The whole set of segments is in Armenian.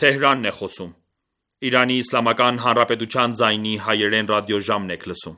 Թեհրանն է խոսում։ Իրանի Իսլամական Հանրապետության ձայնի հայերեն ռադիոժամն եք լսում։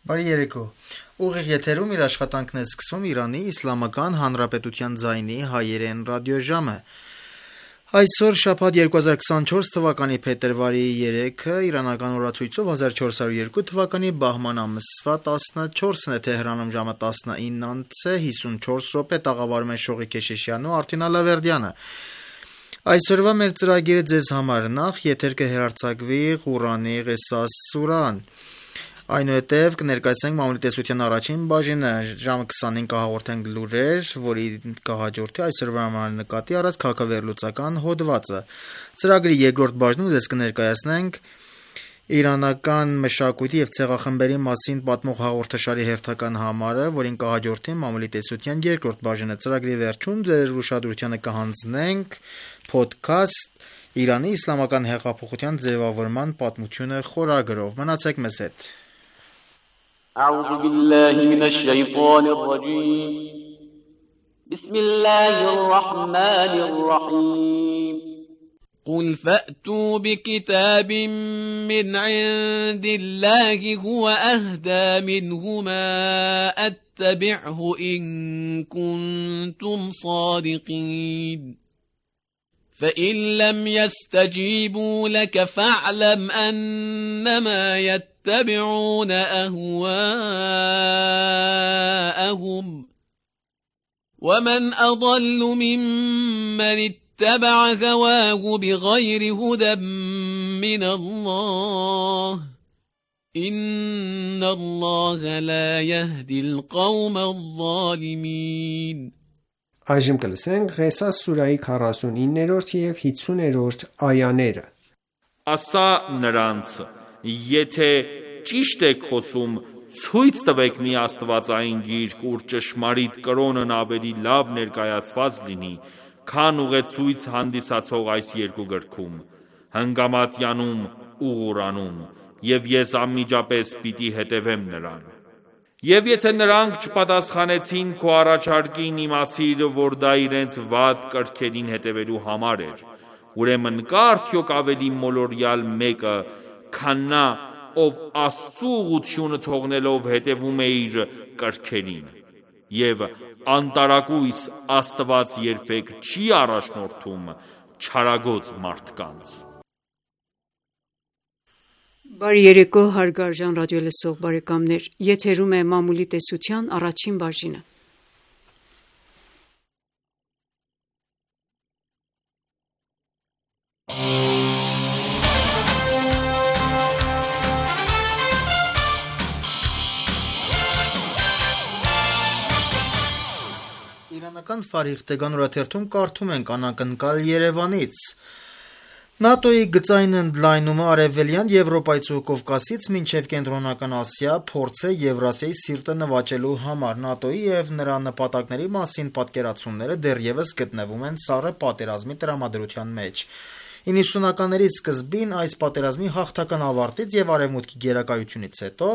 Բարի երեկո։ Ուղիղ եթերում իր աշխատանքն է սկսում Իրանի Իսլամական Հանրապետության ձայնի հայերեն ռադիոժամը։ Այսօր շաբաթ 2024 թվականի փետրվարի 3-ը իրանական օրացույցով 1402 թվականի բահման ամսվա 14-ն է, Թեհրանում ժամը 19:54 տաղավարում են Շողի Քեշիշյանն ու Արտին Ալավերդյանը։ Այսօրվա մեր ծրագիրը ձեզ համար նախ եթեր կհեռարձակվի Ղուրանի Ղիսաս սուրան, այնուհետև կներկայացնենք մամուլի տեսության առաջին բաժինը, ժամը 25 կհաղորդենք լուրեր, որի կհաջորդի այսօրվա համար նկատի առած քաղաքավերլուծական հոդվածը։ Ծրագրի երկրորդ բաժնում ձեզ կներկայացնենք իրանական մշակույթի եւ ցեղախմբերի մասին պատմող հաղորդաշարի հերթական համարը, որին կհաջորդի մամուլի տեսության երկրորդ բաժինը։ Ծրագրի վերջում ձեր ուշադրությանը կհանձնենք podcast Իրանի Իսլամական հեղափոխության ձևավորման պատմությունը խորագրով։ Մնացեք մեզ հետ։ أعوذ بالله من الشيطان الرجيم بسم الله الرحمن الرحيم قل فأتوا بكتاب من عند الله هو أهدى منه ما أتبعه إن كنتم صادقين فإن لم يستجيبوا لك فاعلم أنما يتبعون أهواءهم ومن أضل ممن اتبع هواه بغير هدى من الله إن الله لا يهدي القوم الظالمين Այժմ կլսենք Ղեսաս սուրայի 49-րդ եւ 50-րդ այաները։ Ասա նրանց, եթե ճիշտ եք խոսում, ցույց տվեք մի աստվածային գիրք, ուր ճշմարիտ կրոնն ավելի լավ ներկայացված լինի, քան ուղեցույց հանդիսացող այս երկու գրքում, Հնգամատյանում ու Ղուրանում, եւ ես անմիջապես պիտի հետևեմ նրան։ Եվ եթե նրանք չպատասխանեցին քո առաջարկին, իմացիր, որ դա իրենց վատ կրքերին հետևելու համար էր, ուրեմն կա արդյոք ավելի մոլորյալ մեկը, քան նա, ով Աստծու ուղղությունը թողնելով հետևում է իր կրքերին, եւ անտարակույս Աստված երբեք չի առաջնորդում չարագոծ մարդկանց։ Բարի երեկո, հարգարժան ռադիոլսող բարեկամներ, եթերում է մամուլի տեսության առաջին բաժինը։ Իրանական Ֆարիղ Տեգան օրաթերթում կարդում ենք անակնկալ Երևանից։ ՆԱՏՕ-ի գծային ընդլայնումը Արևելյան Եվրոպայից ու Կովկասից մինչև Կենտրոնական Ասիա փորձ է Եվրասիայի սիրտը նվաճելու համար։ ՆԱՏՕ-ի եւ նրա նպատակների մասին պատկերացումները դեռևս գտնվում են սառը պատերազմի տրամադրության մեջ։ 90-ականների սկզբին այս պատերազմի հաղթական ավարտից եւ Արևմուտքի գերակայությունից հետո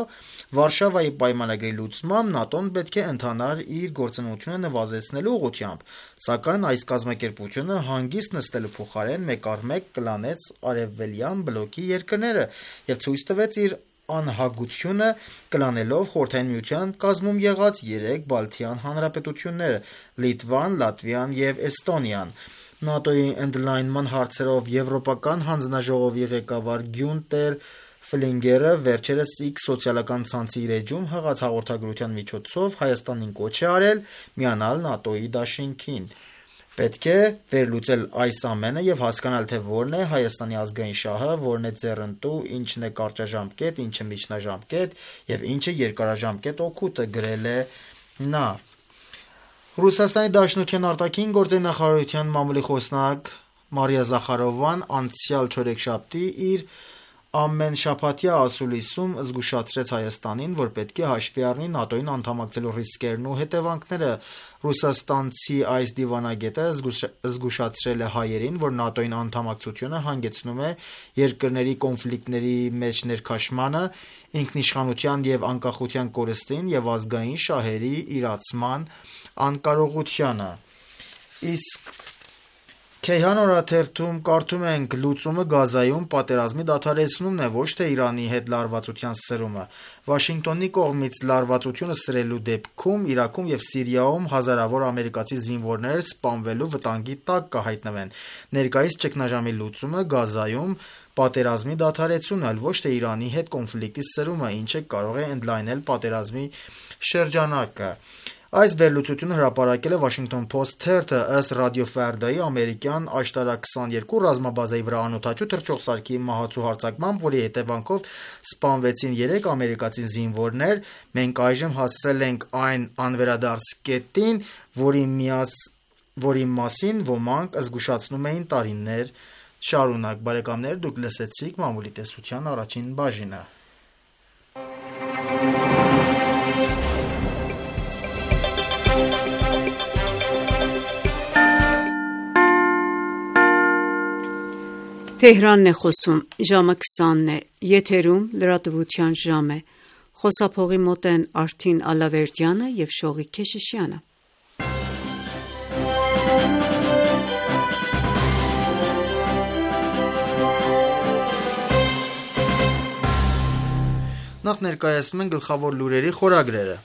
Վարշավայի պայմանագրի լուծմամբ ՆԱՏՕ-ն պետք է ընթանար իր գործունեությունը նվազեցնելու ուղղությամբ, սակայն այս կազմակերպությունը հանգիստ նստելու փոխարեն մեկ առ մեկ կլանեց արևելյան բլոկի երկրները եւ ցույց տվեց իր անհագությունը, կլանելով Խորհրդային Միության կազմում եղած 3 Բալթյան հանրապետությունները՝ Լիտվան, Լատվիան եւ Էստոնիան։ ՆԱՏՕ-ի ընդլայնման հարցերով Եվրոպական հանձնաժողովի ղեկավար Գյունտեր Ֆլինգերը վերջերս X սոցիալական ցանցի իր էջում հղած հաղորդագրության միջոցով Հայաստանին կոչ է արել միանալ ՆԱՏՕ-ի դաշինքին։ Պետք է վերլուծել այս ամենը եւ հասկանալ, թե որն է Հայաստանի ազգային շահը, որն է ձեռնտու, ինչն է կարճաժամկետ, ինչը միջնաժամկետ եւ ինչը երկարաժամկետ օգուտը, գրել է նա։ Ռուսաստանի Դաշնության արտաքին գործերի նախարարության մամուլի խոսնակ Մարիա Զախարովան անցյալ չորեքշաբթի իր ամենշաբաթյա ասուլիսում զգուշացրեց Հայաստանին, որ պետք է հաշվի առնի ՆԱՏՕ-ին անդամակցելու ռիսկերն ու հետևանքները։ Ռուսաստանցի այս դիվանագետը զգուշացրել է հայերին, որ ՆԱՏՕ-ին անդամակցությունը հանգեցնում է երկրների կոնֆլիկտների մեջ ներքաշմանը, ինքնիշխանության եւ անկախության կորստին եւ ազգային շահերի իրացման անկարողությանը։ Իսկ Քեյհան օրաթերթում կարդում ենք. լուծումը Գազայում պատերազմի դադարեցնումն է, ոչ թե Իրանի հետ լարվածության սրումը։ Վաշինգտոնի կողմից լարվածությունը սրելու դեպքում Իրաքում եւ Սիրիայում հազարավոր ամերիկացի զինվորներ սպանվելու վտանգի տակ կհայտնվեն։ Ներկայիս ճգնաժամի լուծումը Գազայում պատերազմի դադարեցումն է, ոչ թե Իրանի հետ կոնֆլիկտի սրումը, ինչը կարող է ընդլայնել պատերազմի շրջանակը։ Այս վերլուծությունը հրապարակել է Washington Post թերթը, ըստ Ռադիո Ֆարդայի ամերիկյան աշտարակ 22 ռազմաբազայի վրա անօդաչու թռչող սարքի մահացու հարձակմամբ, որի հետևանքով սպանվեցին 3 ամերիկացի զինվորներ։ Մենք այժմ հասել ենք այն անվերադարձ կետին, որի մասին ոմանք զգուշացնում էին տարիներ շարունակ։ Բարեկամներ, դուք լսեցիք մամուլի տեսության առաջին բաժինը։ Թեհրանն է խոսում, ժամը 20-ն է, եթերում լրատվության ժամ է, խոսափողի մոտ են Արթին Ալավերդյանը և Շողիկ Քեշիշյանը։ Նախ ներկայացնում են գլխավոր լուրերի խորագրերը։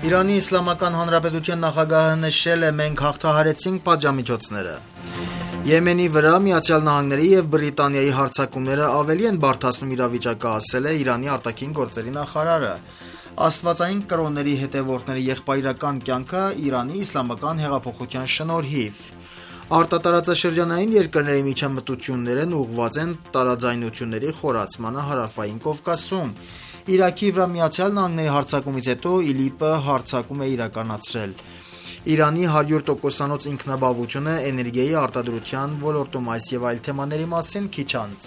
Իրանի Իսլամական Հանրապետության նախագահը նշել է. մենք հաղթահարեցինք պատժամիջոցները։ Եմենի վրա ԱՄՆ-ի եւ Բրիտանիայի հարձակումները ավելի են բարդացնում իրավիճակը, ասել է Իրանի արտաքին գործերի նախարարը։ Աստվածային կրոնների հետևորդների եղբայրական կյանքը Իրանի իսլամական հեղափոխության շնորհիվ։ Արտատարածաշրջանային երկրների միջամտություններն ուղղված են տարաձայնությունների խորացմանը Հարավային Կովկասում։ Իրաքի վրա ԱՄՆ-ի հարձակումից հետո ԻԼԻՊ-ը հարձակում է իրականացրել։ Իրանի 100%-անոց ինքնաբավությունը էներգիայի արտադրության ոլորտում, այս եւ այլ թեմաների մասին քիչ անց։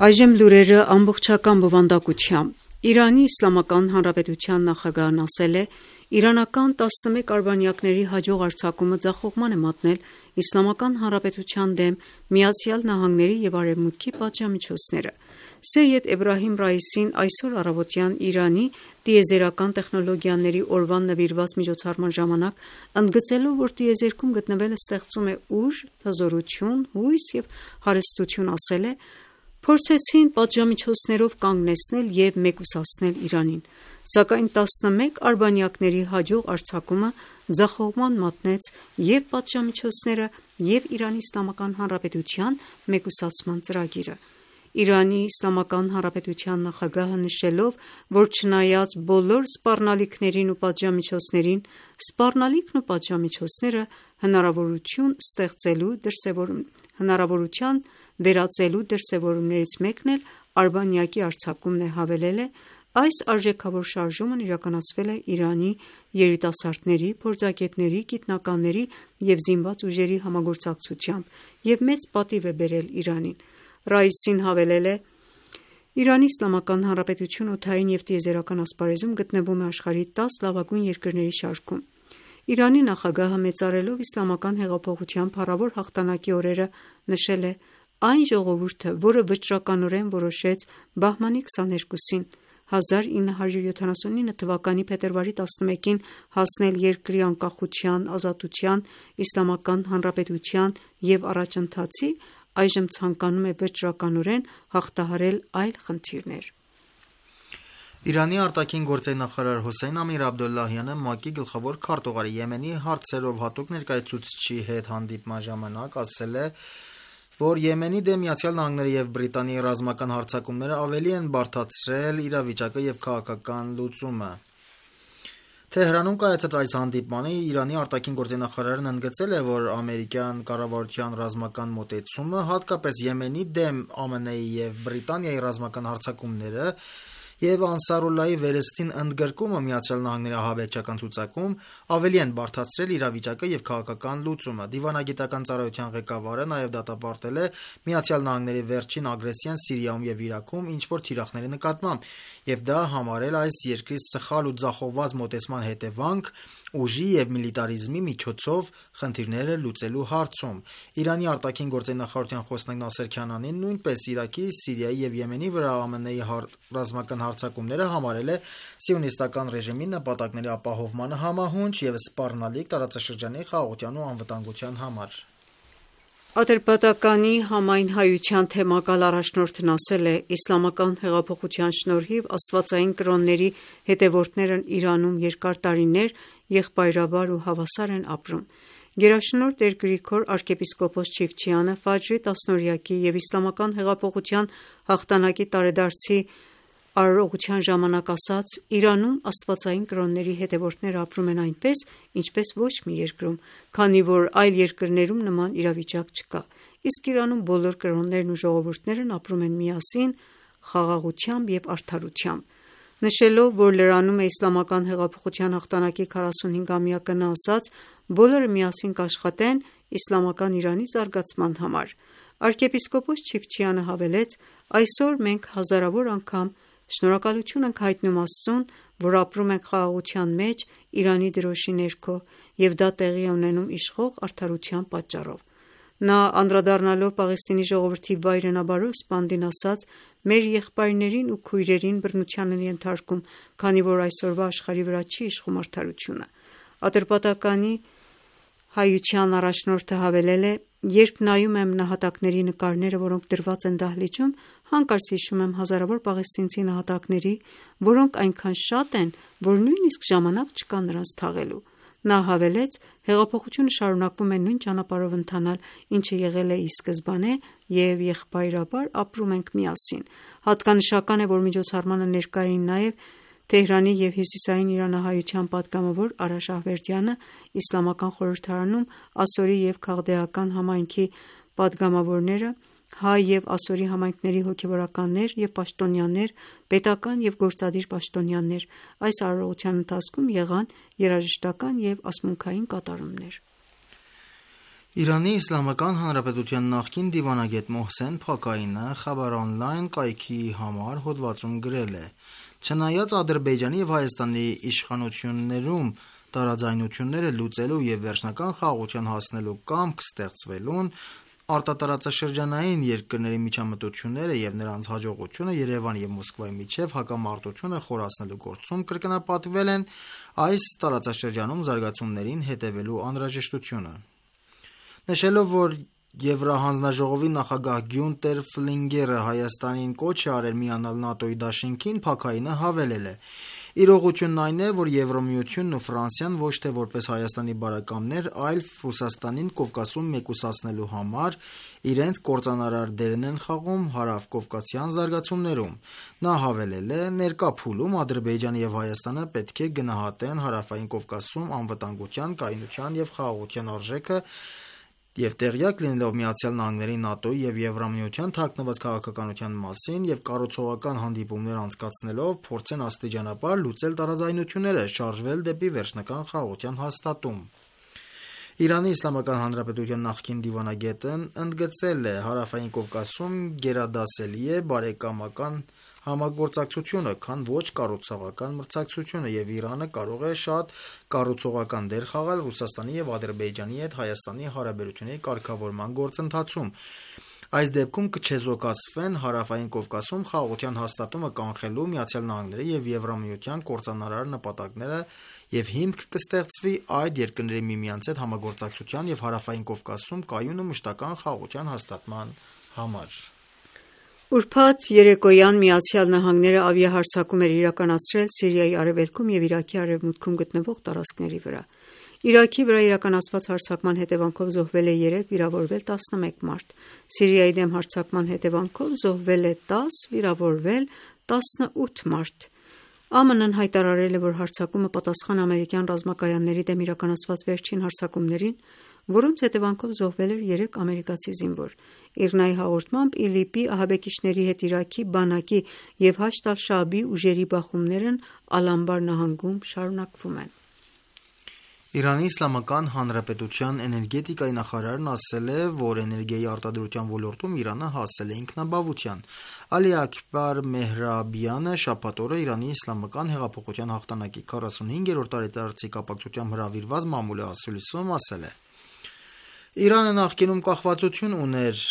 Այժմ լուրերը ամբողջական բովանդակությամբ։ Իրանի Իսլամական Հանրապետության նախագահն ասել է. իրանական 11 արբանյակների հաջող արձակումը ձախողման է մատնել Իսլամական Հանրապետության դեմ ԱՄՆ-ի եւ Արևմուտքի պատժամիջոցները։ Սեյեդ Էբրահիմ Ռայիսին այսօր առավոտյան Իրանի տիեզերական տեխնոլոգիաների օրվան նվիրված միջոցառման ժամանակ ընդգծելով, որ տիեզերքում գտնվելը ստեղծում է ուժ, հզորություն, հույս եւ հարստություն, ասել է. փորձեցին պատժամիջոցներով կանգնեցնել եւ մեկուսացնել Իրանին, սակայն 11 արբանյակների հաջող արձակումը ձախողման մատնեց եւ պատժամիջոցները եւ Իրանի Իսլամական Հանրապետության մեկուսացման ծրագիրը։ Իրանի Իսլամական Հանրապետության նախագահը նշելով, որ չնայած բոլոր սպառնալիքներին ու պատժամիջոցներին, սպառնալիքն ու պատժամիջոցները հնարավորության վերածելու դրսևորումներից մեկն էլ արբանյակի արձակումն է, հավելել է. այս արժեքավոր շարժումն իրականացվել է Իրանի երիտասարդների, փորձագետների, գիտնականների եւ զինված ուժերի համագործակցությամբ եւ մեծ պատիվ է բերել Իրանին։ Ռայիսին հավելել է. Իրանի Իսլամական Հանրապետությունը օդային եւ տիեզերական ասպարեզում գտնվում է աշխարհի 10 լավագույն երկրների շարքում։ Իրանի նախագահը մեծարելով իսլամական հեղափոխության փառավոր հաղթանակի օրերը նշել է. այն ժողովուրդը, որը վճռականորեն որոշեց բահմանի 22-ին 1979 թվականի փետրվարի 11-ին հասնել երկրի անկախության, ազատության, իսլամական հանրապետության եւ առաջընթացի, այժմ ցանկանում է վճռականորեն հաղթահարել այլ խնդիրներ։ Իրանի արտաքին գործերի նախարար Հոսեյն Ամիր Աբդոլլահյանը ՄԱԿ-ի գլխավոր քարտուղարի Եմենի հարցերով հատուկ ներկայացուցչի հետ հանդիպման ժամանակ ասել է, որ Եմենի դեմ ԱՄՆ-ի և Բրիտանիայի ռազմական հարձակումները ավելի են բարդացրել իրավիճակը և քաղաքական լուծումը։ Թեհրանում կայացած այս հանդիպմանը Իրանի արտաքին գործերի նախարարն ընդգծել է, որ ամերիկյան կառավարության ռազմական մոտեցումը, հատկապես Եմենի դեմ ԱՄՆ-ի և Բրիտանիայի ռազմական հարձակումները և Անսարուլլահի վերստին ընդգրկումը ԱՄՆ-ի ահաբեկչական ցուցակում ավելի են բարդացրել իրավիճակը և քաղաքական լուծումը։ Դիվանագիտական ծառայության ղեկավարը նաև դատապարտել է ԱՄՆ-ի վերջին ագրեսիան Սիրիայում և Իրաքում ինչ-որ թիրախների նկատմամբ և դա համարել այս երկրի սխալ ու ձախողված մոտեցման հետևանք ուժի և միլիտարիզմի միջոցով խնդիրները լուծելու հարցում։ Իրանի արտաքին գործերի նախարարության խոսնակ Նասեր Քանանին նույնպես Իրաքի, Սիրիայի և Եմենի վրա ԱՄՆ-ի ռազմական հարձակումները համարել է սիոնիստական ռեժիմի նպատակների ապահովմանը համահունչ և սպառնալիք տարածաշրջանի խաղաղության ու անվտանգության համար։ Ատրպատականի համայնհայության թեմակալ առաջնորդն ասել է. «Իսլամական հեղափոխության շնորհիվ աստվածային կրոնների հետևորդներն Իրանում երկար տարիներ եղբայրաբար ու հավասար են ապրում»։ Գերաշնորհ Տեր Գրիգոր arczepiskopos Չիֆչյանը Ֆաջրի 10-օրյակի և Իսլամական հեղափոխության հաղթանակի տարեդարձի արարողության ժամանակ ասաց. «Իրանում աստվածային կրոնների հետևորդները ապրում են այնպես, ինչպես ոչ մի երկրում, քանի որ այլ երկրներում նման իրավիճակ չկա, իսկ Իրանում բոլոր կրոններն ու ժողովուրդներն ապրում են միասին, խաղաղությամբ և արդարությամբ»։ Նշելով, որ լրանում է Իսլամական հեղափոխության հաղթանակի 45-ամյակը, նա ասաց. «Բոլորը միասին կաշխատեն իսլամական Իրանի զարգացման համար»։ Arczepiskopos Չիֆչյանը հավելեց. «Այսօր մենք հազարավոր անգամ շնորհակալություն ենք հայտնում Աստծուն, որ ապրում ենք խաղաղության մեջ Իրանի դրոշի ներքո և դա տեղի է ունենում իշխող արդարության պատճառով»։ Նա անդրադառնալով Պաղեստինի ժողովրդի վայրենաբարո սպանդին ասաց. «Մեր եղբայրներին ու քույրերին բռնության են ենթարկում, քանի որ այսօրվա աշխարհի վրա չի իշխում արդարությունը»։ Ատրպատականի հայության առաջնորդը հավելել է. «Երբ նայում եմ նահատակների նկարները, որոնք դրված են դահլիճում, հանկարծ հիշում եմ հազարավոր պաղեստինցի նահատակների, որոնք այնքան շատ են, որ նույնիսկ ժամանակ չկա նրանց թաղելու»։ Նա հավելեց. «Հեղափոխությունը շարունակվում է նույն ճանապարհով ընթանալ, ինչը եղել է ի սկզբանե և եղբայրաբար ապրում ենք միասին»։ Հատկանշական է, որ միջոցառմանը ներկա էին նաև Թեհրանի և Հյուսիսային իրանահայության պատգամավոր Արա Շահվերդյանը, Իսլամական խորհրդարանում ասորի և քաղդեական համայնքի պատգամավորները, հայ և ասորի համայնքների հոգևորականներ և պաշտոնյաներ, պետական և գործադիր պաշտոնյաներ։ Այս արարողության ընթացքում եղան երաժշտական և ասմունքային կատարումներ։ Իրանի Իսլամական Հանրապետության նախկին դիվանագետ Մոհսեն Փաքայինը Խաբար օնլայն կայքի համար հոդվածում գրել է. «Չնայած Ադրբեջանի և Հայաստանի իշխանություններում տարաձայնությունները լուծելու և վերջնական խաղաղության հասնելու կամք ստեղծվելուն, արտատարածաշրջանային երկրների միջամտությունները և նրանց հաջողությունը Երևանի և Մոսկվայի միջև հակամարտությունը խորացնելու գործում կրկնապատկվել են այս տարածաշրջանում զարգացումներին հետևելու անհրաժեշտությունը»։ Նշելով, որ Եվրահանձնաժողովի նախագահ Գյունտեր Ֆլինգերը Հայաստանին կոչ է արել միանալ ՆԱՏՕ-ի դաշինքին, Փաքայինը հավելել է. «Իրողությունն այն է, որ Եվրամիությունն ու Ֆրանսիան ոչ թե որպես Հայաստանի բարեկամներ, այլ Ռուսաստանին Կովկասում մեկուսացնելու համար իրենց կործանարար դերն են խաղում հարավկովկասյան զարգացումներում»։ Նա հավելել է. «Ներկա փուլում Ադրբեջանը և Հայաստանը պետք է գնահատեն Հարավային Կովկասում անվտանգության, կայունության և խաղաղության արժեքը և տեղյակ լինելով ԱՄՆ-ի, ՆԱՏՕ-ի և Եվրամիության թաքնված քաղաքականության մասին և կառուցողական հանդիպումներ անցկացնելով փորձեն աստիճանաբար լուծել տարաձայնությունները, շարժվել դեպի վերջնական խաղաղության հաստատում»։ Իրանի Իսլամական Հանրապետության նախկին դիվանագետն ընդգծել է. «Հարավային Կովկասում գերադասելի է բարեկամական համագործակցությունը, քան ոչ կառուցողական մրցակցությունը, և Իրանը կարող է շատ կառուցողական դեր խաղալ Ռուսաստանի և Ադրբեջանի հետ Հայաստանի հարաբերությունների կարգավորման գործընթացում։ Այս դեպքում կչեզոքացվեն Հարավային Կովկասում խաղաղության հաստատումը կանխելու ԱՄՆ-ի և Եվրամիության կործանարար նպատակները եւ հիմք կստեղծվի այդ երկրների միմյանց հետ համագործակցության եւ Հարավային Կովկասում կայուն ու մշտական խաղաղության հաստատման համար։ Ուրբաթ երեկոյան ԱՄՆ-ն ավիահարձակում էր իրականացրել Սիրիայի արևելքում եւ Իրաքի արևմուտքում գտնվող տարածքների վրա։ Իրաքի վրա իրականացված հարձակման հետևանքով զոհվել է 3, վիրավորվել 11 մարդ։ Սիրիայի դեմ հարձակման հետևանքով զոհվել է 10, վիրավորվել 18 մարդ։ ԱՄՆ-ն հայտարարել է, որ հարձակումը պատասխան ամերիկյան ռազմակայանների դեմ իրականացված վերջին հարձակումներին, որոնց հետևանքով զոհվել էր 3 ամերիկացի զինվոր։ ԻՌՆԱ-ի հաղորդմամբ ԻԼԻՊ-ի ահաբեկիչների հետ Իրաքի բանակի եւ Հաշդ ալ-Շաաբի ուժերի բախումներն Ալ-Անբար նահանգում շարունակվում են։ Իրանի Իսլամական Հանրապետության էներգետիկայի նախարարն ասել է, որ էներգիայի արտադրության ոլորտում Իրանը հասել է ինքնաբավության։ Ալի Աքբար Մեհրաբյանը շաբաթ օրը Իրանի Իսլամական հեղափոխության հաղթանակի 45-րդ տարեդարձի կապակցությամբ հրավիրված մամուլի ասուլիսում ասել է. Իրանը նախկինում կախվածություն ուներ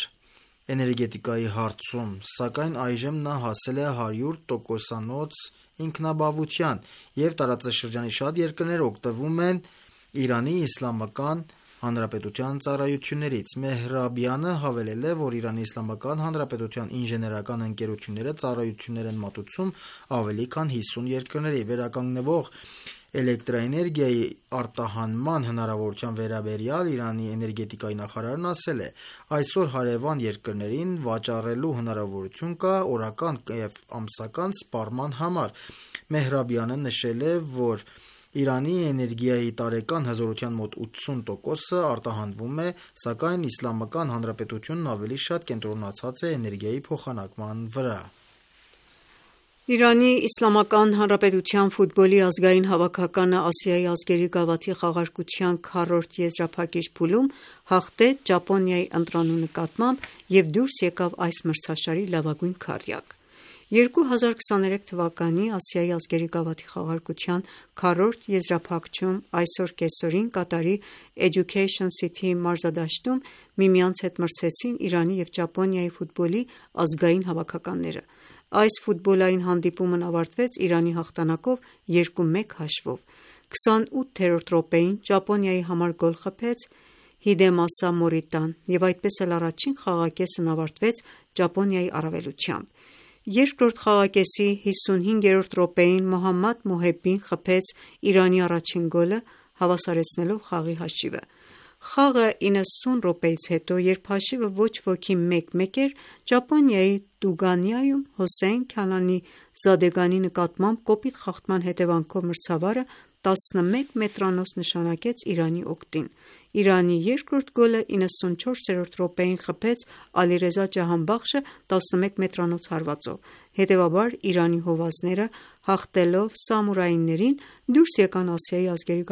էներգետիկայի հարցում, սակայն այժմ նա հասել է 100%-անոց ինքնաբավության եւ տարածաշրջանի շատ երկրներ օգտվում են Իրանի Իսլամական Հանրապետության ծառայություններից։ Մեհրաբյանը հավելել է, որ Իրանի Իսլամական Հանրապետության ինժեներական ընկերությունները ծառայություններ են մատուցում ավելի քան 50 երկրների։ Վերականգնվող էլեկտրաէներգիայի արտահանման հնարավորության վերաբերյալ Իրանի էներգետիկայի նախարարն ասել է. այսօր հարևան երկրներին վաճառելու հնարավորություն կա օրական եւ ամսական սպառման համար։ Մեհրաբյանը նշել է, որ Իրանի էներգիայի տարեկան հզորության մոտ 80%-ը արտահանվում է, սակայն Իսլամական Հանրապետությունն ավելի շատ կենտրոնացած է էներգիայի փոխանակման վրա։ Իրանի Իսլամական Հանրապետության ֆուտբոլի ազգային հավաքականը Ասիայի ազգերի գավաթի խաղարկության 4-րդ եզրափակիչ փուլում հաղթեց Ճապոնիայի ընտրանու նկատմամբ եւ դուրս եկավ այս մրցաշարի լավագույն քառյակ։ 2023 թվականի Ասիայի ազգերի գավաթի խաղարկության 4-րդ եզրափակչում այսօր կեսօրին Կատարի Education City մարզադաշտում միմյանց հետ մրցեցին Իրանի եւ Ճապոնիայի ֆուտբոլի ազգային հավաքականները։ Այս ֆուտբոլային հանդիպումն ավարտվեց Իրանի հաղթանակով 2-1 հաշվով։ 28-րդ րոպեին Ճապոնիայի համար գոլ խփեց Հիդեմասա Մորիտան եւ այդպես էլ առաջին խաղակեսն ավարտվեց Ճապոնիայի առավելությամբ։ Երկրորդ խաղակեսի 55-րդ րոպեին Մոհամմադ Մոհեբին խփեց Իրանի առաջին գոլը, հավասարեցնելով խաղի հաշիվը։ Խաղը 90 րոպեից հետո, երբ հաշիվը ոչ ոքի 1-1 էր, Ճապոնիայի Տուգանիայում Հոսեյն Քանանի Զադեգանի նկատմամբ կոպիտ խախտման հետևանքով մրցավարը 11 մետրանոց նշանակեց Իրանի օգտին։ Իրանի երկրորդ գոլը 94-րդ րոպեին խփեց Ալիրեզա Ջահանբախշը 11 մետրանոց հարվածով։ Հետևաբար Իրանի հովազները հաղթելով սամուրայիներին դուրս եկան Ասիայի ազգերի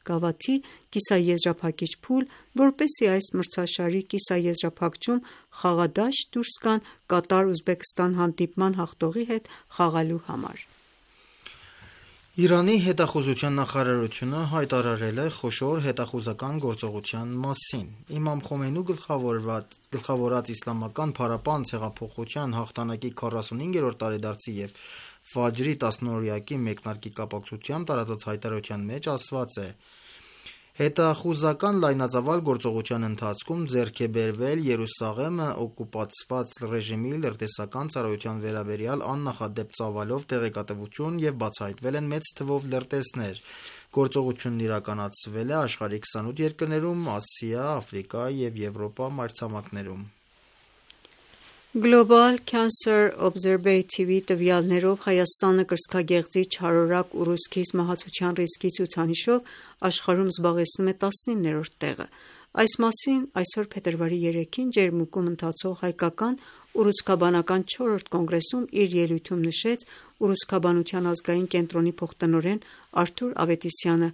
գավաթի կիսաեզրափակիչ փուլ, որպեսզի այս մրցաշարի կիսաեզրափակչում խաղադաշտ դուրս գան Կատար-Ուզբեկստան հանդիպման հաղթողի հետ խաղալու համար։ Իրանի հետախուզության նախարարությունը հայտարարել է խոշոր հետախուզական գործողության մասին։ Իմամ Խոմեյնու գլխավորած իսլամական փառապանծ հեղափոխության հաղթանակի 45-րդ տարեդարձի եւ Ֆաջրի 10-օրյակի մեկնարկի կապակցությամբ տարածած հայտարարության մեջ ասված է. Հետախուզական լայնածավալ գործողության ընթացքում ձեռք է բերվել Երուսաղեմը օկուպացված ռեժիմի լրտեսական ծառայության վերաբերյալ աննախադեպ ծավալով տեղեկատվություն եւ բացահայտվել են մեծ թվով լրտեսներ։ Գործողությունն իրականացվել է աշխարհի 28 երկրներում, Ասիա, Աֆրիկա եւ Եվրոպա մայրցամաքներում։ Global Cancer Observatory տվյալներով Հայաստանը կրծքագեղձի չարորակ ուռուցքից մահացության ռիսկի ցուցանիշով աշխարհում զբաղեցնում է 19-րդ տեղը։ Այս մասին այսօր փետրվարի 3-ին Ջերմուկում ընթացող հայկական ուռուցքաբանական 4-րդ կոնգրեսում իր ելույթում նշեց ուռուցքաբանության ազգային կենտրոնի փոխտնօրեն Արթուր Ավետիսյանը,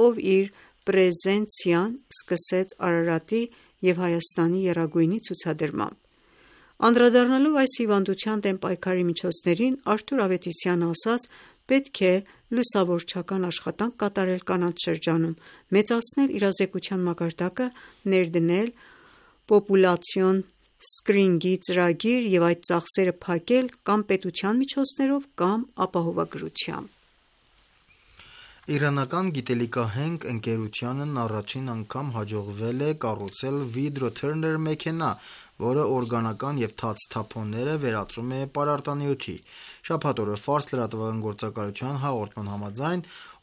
ով իր պրեզենցիան սկսեց Արարատի եւ Հայաստանի եռագույնի ցուցադրմամբ։ Անդրադառնալով այս հիվանդության դեմ պայքարի միջոցներին, Արթուր Ավետիսյանը ասաց. պետք է լուսավորչական աշխատանք կատարել կանանց շրջանում, մեծացնել իրազեկության մակարդակը, ներդնել պոպուլացիոն սկրինինգի ծրագիր եւ այդ ծախսերը փակել կամ պետության միջոցներով կամ ապահովագրությամբ։ Իրանական գիտելիքահենք ընկերությանն առաջին անգամ հաջողվել է կառուցել Vidro-Turner մեքենա, որը օրգանական և թաց թափոնները վերածում է պարարտանյութի։ Շաբաթ օրը Ֆարս լրատվական գործակալության հաղորդման համաձայն,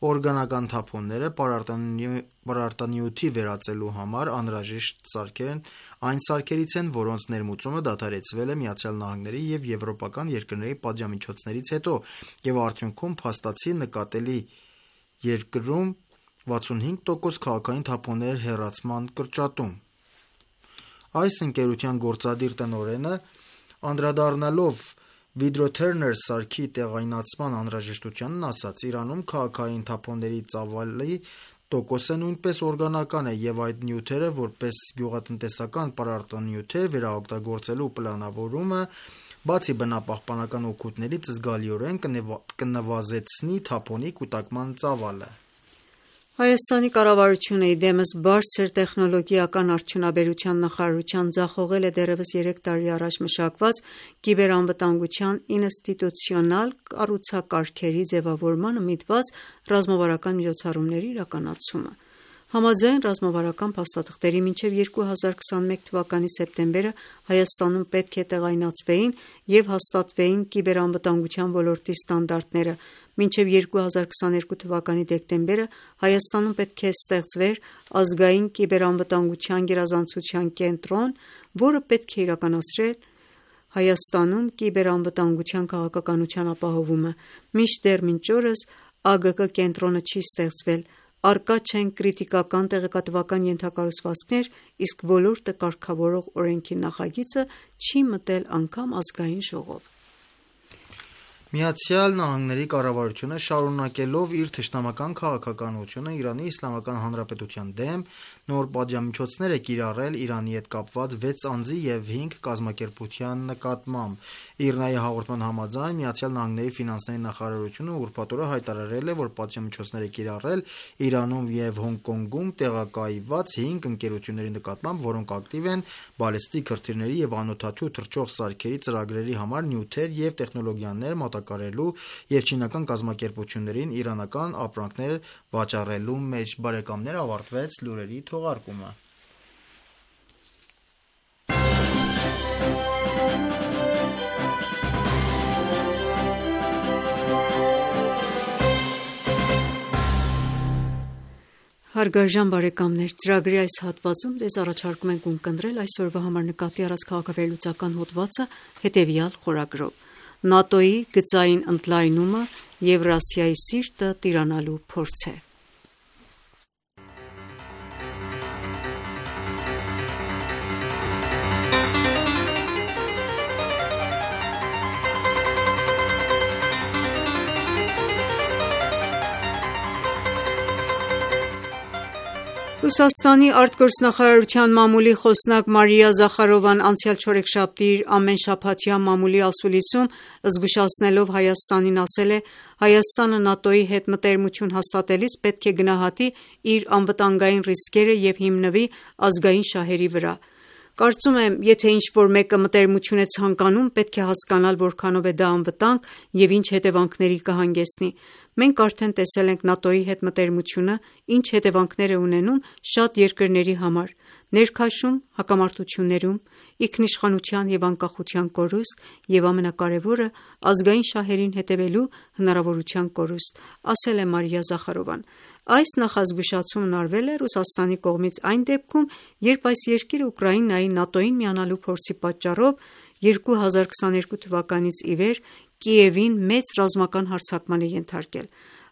օրգանական թափոնները պարարտանյութի վերածելու համար անհրաժեշտ սարքերն այն սարքերից են, որոնց ներմուծումը դադարեցվել է ԱՄՆ-ի և եվրոպական երկրների պատժամիջոցներից հետո, և արդյունքում փաստացի նկատելի երկրում 65% քաղաքային թափոնների հեռացման կրճատում։ Այս ընկերության գործադիր տնօրենը, անդրադառնալով Vidro-Turner սարքի տեղայնացման անհրաժեշտությանն, ասաց. «Իրանում քաղաքային թափոնների ծավալի տոկոսը նույնպես օրգանական է, և այդ նյութերը որպես գյուղատնտեսական պարարտանյութեր վերաօգտագործելու պլանավորումը, բացի բնապահպանական օգուտներից, զգալիորեն կնվազեցնի թափոնի կուտակման ծավալը»։ Հայաստանի կառավարությունը իդեմս բարձր տեխնոլոգիական արդյունաբերության նախարարության ձախողել է դեռևս 3 տարի առաջ մշակված կիբերանվտանգության ինստիտուցիոնալ կառուցակարգերի ձևավորմանը միտված ռազմավարական միջոցառումների իրականացումը։ Համաձայն ռազմավարական փաստաթղթերի մինչև 2021 թվականի սեպտեմբերը Հայաստանում պետք է տեղայնացվեին և հաստատվեին կիբերանվտանգության ոլորտի ստանդարտները, մինչև 2022 թվականի դեկտեմբերը Հայաստանում պետք է ստեղծվեր ազգային կիբերանվտանգության գերազանցության կենտրոն, որը պետք է իրականացներ Հայաստանում կիբերանվտանգության քաղաքականության ապահովումը, մինչդեռ մինչ օրս ԱԳԿ կենտրոնը չի ստեղծվել, առկա չեն կրիտիկական տեղեկատվական ենթակառուցվածքներ, իսկ ոլորտը կարգավորող օրենքի նախագիծը չի մտել անգամ Ազգային ժողով։ ԱՄՆ կառավարությունը, շարունակելով իր թշնամական քաղաքականությունը Իրանի Իսլամական Հանրապետության դեմ, նոր պատժամիջոցներ է կիրառել Իրանի հետ կապված 6 անձի և 5 կազմակերպության նկատմամբ։ ԻՌՆԱ-ի հաղորդման համաձայն, ԱՄՆ ֆինանսների նախարարությունը ուրբաթ օրը հայտարարել է, որ պատժամիջոցներ է կիրառել Իրանում և Հոնկոնգում տեղակայված 5 ընկերությունների նկատմամբ, որոնք ակտիվ են բալիստիկ հրթիռների և անօդաչու թռչող սարքերի ծրագրերի համար նյութեր և տեխնոլոգիաներ մատակարարելու և չինական կազմակերպություններին իրանական ապրանքներ վաճառելու մեջ։ Բարեկամներ, ավարտվեց լուրերի թողարկումը։ Հարգարժան բարեկամներ, ծրագրի այս հատվածում ձեզ առաջարկում ենք ունկնդրել այսօրվա համար նկատի առած քաղաքավերլուծական հոդվածը հետևյալ խորագրով. ՆԱՏՕ-ի գծային ընդլայնումը Եվրասիայի սիրտը տիրանալու փորձ է։ Ռուսաստանի արտգործնախարարության մամուլի խոսնակ Մարիա Զախարովան անցյալ չորեքշաբթի իր ամենշաբաթյա մամուլի ասուլիսում զգուշացնելով Հայաստանին ասել է. «Հայաստանը ՆԱՏՕ-ի հետ մտերմություն հաստատելիս պետք է գնահատի իր անվտանգային ռիսկերը և հիմնվի ազգային շահերի վրա։ Կարծում եմ, եթե ինչ-որ մեկը մտերմություն է ցանկանում, պետք է հասկանալ որքանով է դա անվտանգ և ինչ հետևանքների կհանգեցնի։ Մենք արդեն տեսել ենք ՆԱՏՕ-ի հետ մտերմությունը ինչ հետևանքներ է ունենում շատ երկրների համար՝ ներքաշում, հակամարտություններում, ինքնիշխանության և անկախության կորուստ և ամենակարևորը՝ ազգային շահերին հետևելու հնարավորության կորուստ», ասել է Մարիա Զախարովան։ Այս նախազգուշացումն արվել է Ռուսաստանի կողմից այն դեպքում, երբ այս երկիրը Ուկրաինայի ՆԱՏՕ-ին միանալու փորձի պատճառով 2022 թվականից ի վեր Կիևին մեծ ռազմական հարձակման է ենթարկել։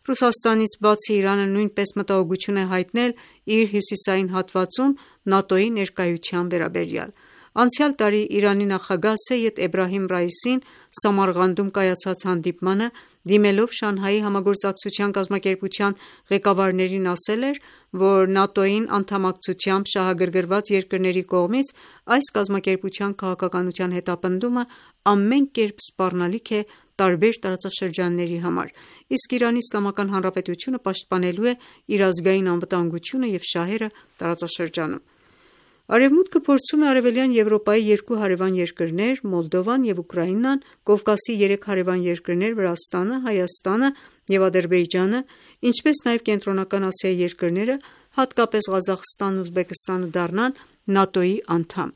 Ռուսաստանից բացի Իրանը նույնպես մտահոգություն է հայտնել իր հյուսիսային հատվածում ՆԱՏՕ-ի ներկայության վերաբերյալ։ Անցյալ տարի Իրանի նախագահ Սեյեդ Էբրահիմ Ռայիսին Սամարղանդում կայացած հանդիպմանը դիմելով Շանհայի համագործակցության կազմակերպության ղեկավարներին ասել էր, որ ՆԱՏՕ-ին անդամակցությամբ շահագրգռված երկրների կողմից այս կազմակերպության քաղաքականության հետապնդումը ամեն կերպ սպառնալիք է տարբեր տարածաշրջանների համար, իսկ Իրանի Իսլամական Հանրապետությունը պաշտպանելու է իր ազգային անվտանգությունը և շահերը տարածաշրջանում։ Արևմուտքը փորձում է Արևելյան Եվրոպայի երկու հարևան երկրներ՝ Մոլդովան և Ուկրաինան, Կովկասի 3 հարևան երկրներ՝ Վրաստանը, Հայաստանը և Ադրբեջանը ինչպես նաև Կենտրոնական Ասիայի երկրները, հատկապես Ղազախստանն ու Ուզբեկստանը դառնան ՆԱՏՕ-ի անդամ։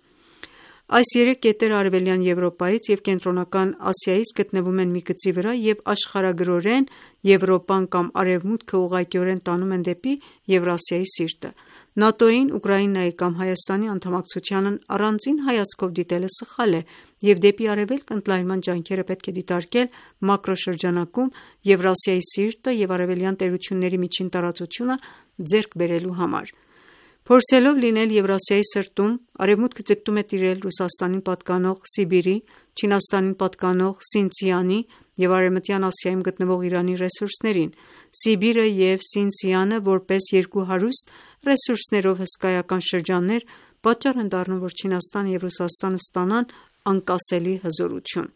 Այս երեք կետերը Արևելյան Եվրոպայից և Կենտրոնական Ասիայից գտնվում են մի գծի վրա և աշխարհագրորեն Եվրոպան կամ Արևմուտքը ուղղակիորեն տանում են դեպի Եվրասիայի սիրտը։ ՆԱՏՕ-ին, Ուկրաինայի կամ Հայաստանի անդամակցությանն առանձին հայացքով դիտելը սխալ է և դեպի արևելք ընդլայնման ջանքերը պետք է դիտարկել մակրոշրջանակում Եվրասիայի սիրտը և արևելյան տերությունների միջին տարածությունը ձեռք բերելու համար։ Փորձելով լինել Եվրասիայի սրտում, Արևմուտքը ձգտում է տիրել Ռուսաստանին պատկանող Սիբիրի, Չինաստանին պատկանող Սինցիանի և Արևմտյան Ասիայում գտնվող Իրանի ռեսուրսներին։ Սիբիրը և Սինցիանը, որպես երկու հարուստ ռեսուրսներով հսկայական շրջաններ, պատճառ են դառնում, որ Չինաստանը և Ռուսաստանը ստանան անկասելի հզորություն։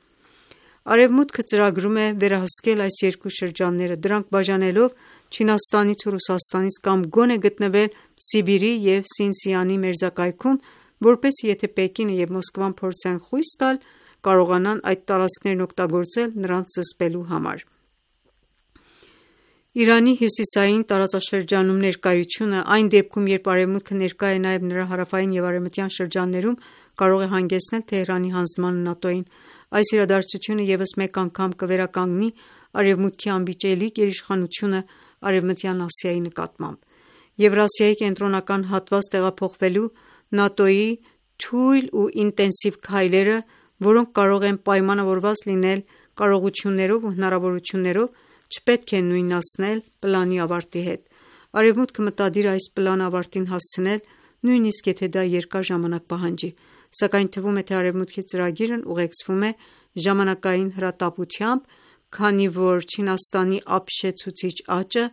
Արևմուտքը ծրագրում է վերահսկել այս երկու շրջանները, դրանք բաժանելով Չինաստանից ու Ռուսաստանից կամ գոնե գտնվել Սիբիրի և Սինցիանի մերձակայքում, որպեսզի եթե Պեկինը և Մոսկվան փորձեն խույս տալ, կարողանան այդ տարածքներն օգտագործել նրանց զսպելու համար։ Իրանի հյուսիսային տարածաշրջանում ներկայությունը, այն դեպքում, երբ Արևմուտքը ներկա է նաև նրա հարավային և արևմտյան շրջաններում, կարող է հանգեցնել Թեհրանի հանձնմանը ՆԱՏՕ-ին։ Այս իրադարձությունը ևս մեկ անգամ կվերականգնի Արևմուտքի անվիճելի գերիշխանությունը Արևմտյան Ասիայի նկատմամբ։ Եվրասիայի կենտրոնական հատված տեղափոխվելու ՆԱՏՕ-ի թույլ ու ինտենսիվ քայլերը, որոնք կարող են պայմանավորված լինել կարողություններով ու հնարավորություններով, չպետք է նույնացնել պլանի ավարտի հետ։ Արևմուտքը մտադիր է այս պլանը ավարտին հասցնել, նույնիսկ եթե դա երկար ժամանակ պահանջի, սակայն թվում է, թե Արևմուտքի ծրագիրն ուղեկցվում է ժամանակային հրատապությամբ, քանի որ Չինաստանի ապշեցուցիչ աճը,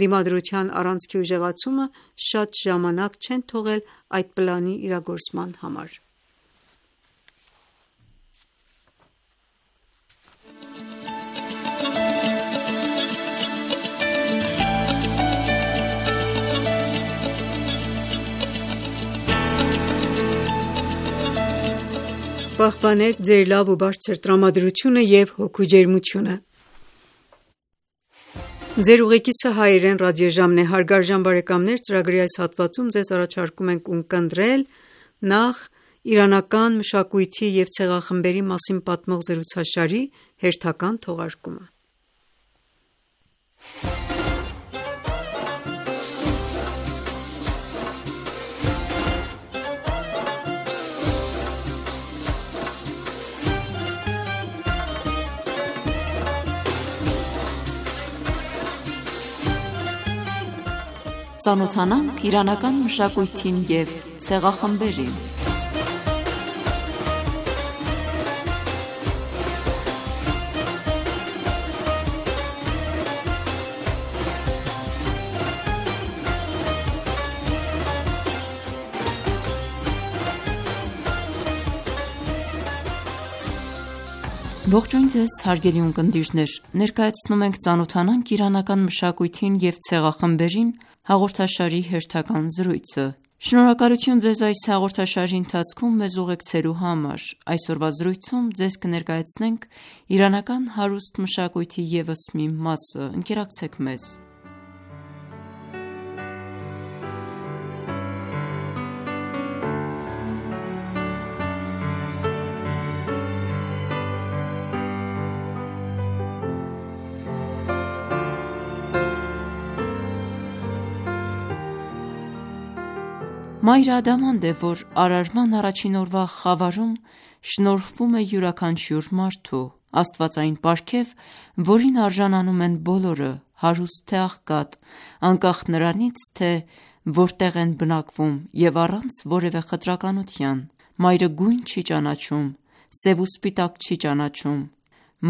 դիմադրության առանցքի ուժեղացումը շատ ժամանակ չեն թողել այդ պլանի իրագործման համար։ Պահպանեք ձեր լավ ու բարձր տրամադրությունը և հոգու ջերմությունը։ Ձեր ուղեկիցը հայերեն ռադիոժամն է, հարգարժան բարեկամներ, ծրագրի այս հատվածում ձեզ առաջարկում ենք ունկնդրել նախ իրանական մշակույթի և ցեղախմբերի մասին պատմող զրուցաշարի հերթական թողարկումը։ Ծանոթանանք իրանական մշակույթին և ցեղախմբերին։ Ողջույն ձեզ հարգելի ունկնդիրներ, ներկայացնում ենք «Ծանոթանանք իրանական մշակույթին և ցեղախմբերին» հաղորդաշարի հերթական զրույցը։ Շնորհակալություն ձեզ այս հաղորդաշարի ընթացքում մեզ ուղեկցելու համար։ Այսօրվա զրույցում ձեզ կներկայացնենք իրանական հարուստ մշակույթի ևս մի մասը։ Ընկերակցեք մեզ։ Մայրը ադամանդ է, որ արարման առաջին օրվա խավարում շնորհվում է յուրաքանչյուր մարդու, աստվածային պարգև, որին արժանանում են բոլորը, հարուստ թե աղքատ, անկախ նրանից, թե որտեղ են բնակվում և առանց որևէ խտրականության։ Մայրը գույն չի ճանաչում, սև ու սպիտակ չի ճանաչում,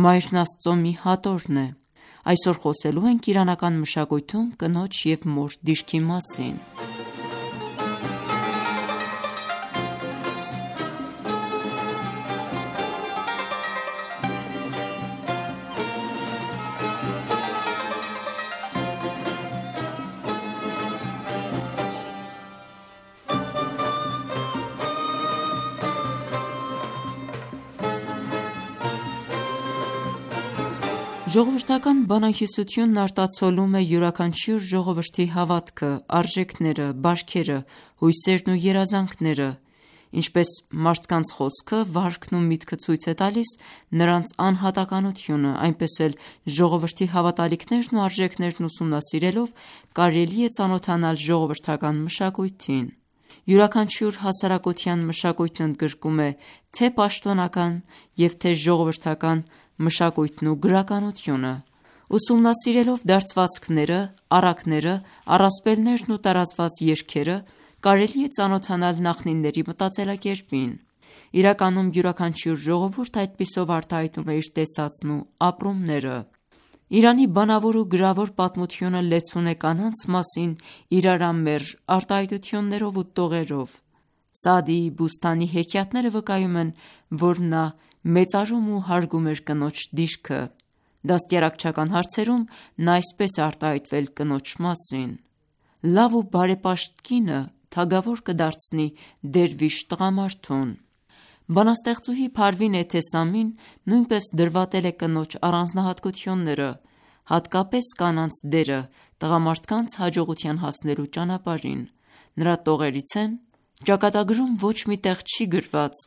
մայրն Աստծո մի հատորն է։ Այսօր խոսելու ենք իրանական մշակույթում կնոջ և մոր դիրքի մասին։ Ժողովրդական բանահյուսությունն արտացոլում է յուրաքանչյուր ժողովրդի հավատքը, արժեքները, բարքերը, հույսերն ու երազանքները, ինչպես մարդկանց խոսքը, վարքն ու միտքը ցույց է տալիս նրանց անհատականությունը, այնպես էլ ժողովրդի հավատալիքներն ու արժեքներն ուսումնասիրելով կարելի է ծանոթանալ ժողովրդական մշակույթին։ Յուրաքանչյուր հասարակության մշակույթն ընդգրկում է թե պաշտոնական և թե ժողովրդական մշակույթն ու գրականությունը։ Ուսումնասիրելով դարձվածքները, առակները, առասպելներն ու տարածված երգերը, կարելի է ծանոթանալ նախնիների մտածելակերպին։ Իրականում յուրաքանչյուր ժողովուրդ այդպիսով արտահայտում է իր տեսածն ու ապրումները։ Իրանի բանավոր ու գրավոր պատմությունը լեցուն է կանանց մասին իրարամերժ արտահայտություններով ու տողերով։ Սաադիի Բուստանի հեքիաթները վկայում են, որ նա մեծարում ու հարգում էր կնոջ դիրքը։ Դաստիարակչական հարցերում նա այսպես է արտահայտվել կնոջ մասին. «Լավ ու բարեպաշտ կինը թագավոր կդարձնի դերվիշ տղամարդուն»։ Բանաստեղծուհի Փարվին Էթեսամին նույնպես դրվատել է կնոջ առանձնահատկությունները, հատկապես կանանց դերը տղամարդկանց հաջողության հասնելու ճանապարհին։ Նրա տողերից են. «Ճակատագրում ոչ մի տեղ չի գրված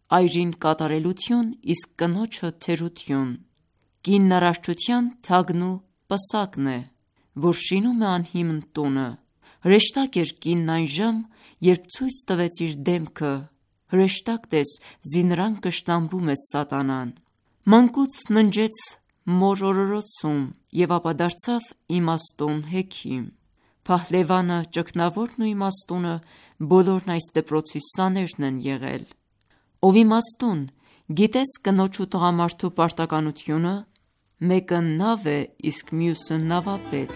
այրին կատարելություն, իսկ կնոջը թերություն։ Կինն առարչության թագն ու պսակն է, որ շինում է անհիմն տունը։ Հրեշտակ էր կինն այն ժամ, երբ ցույց տվեց իր դեմքը, հրեշտակ տես զինրան կշտամբում է սատանան։ Մանկուց ննջեց մոր օրորոցում և ապա դարձավ իմաստուն հեքիմ։ Փահլևանը, ճգնավորն ու իմաստունը բոլորն այս դպրոցի սաներն են եղել։ Ով իմաստուն, գիտես կնոջ ու տղամարդու պարտականությունը, մեկը նավ է, իսկ մյուսը նավապետ»։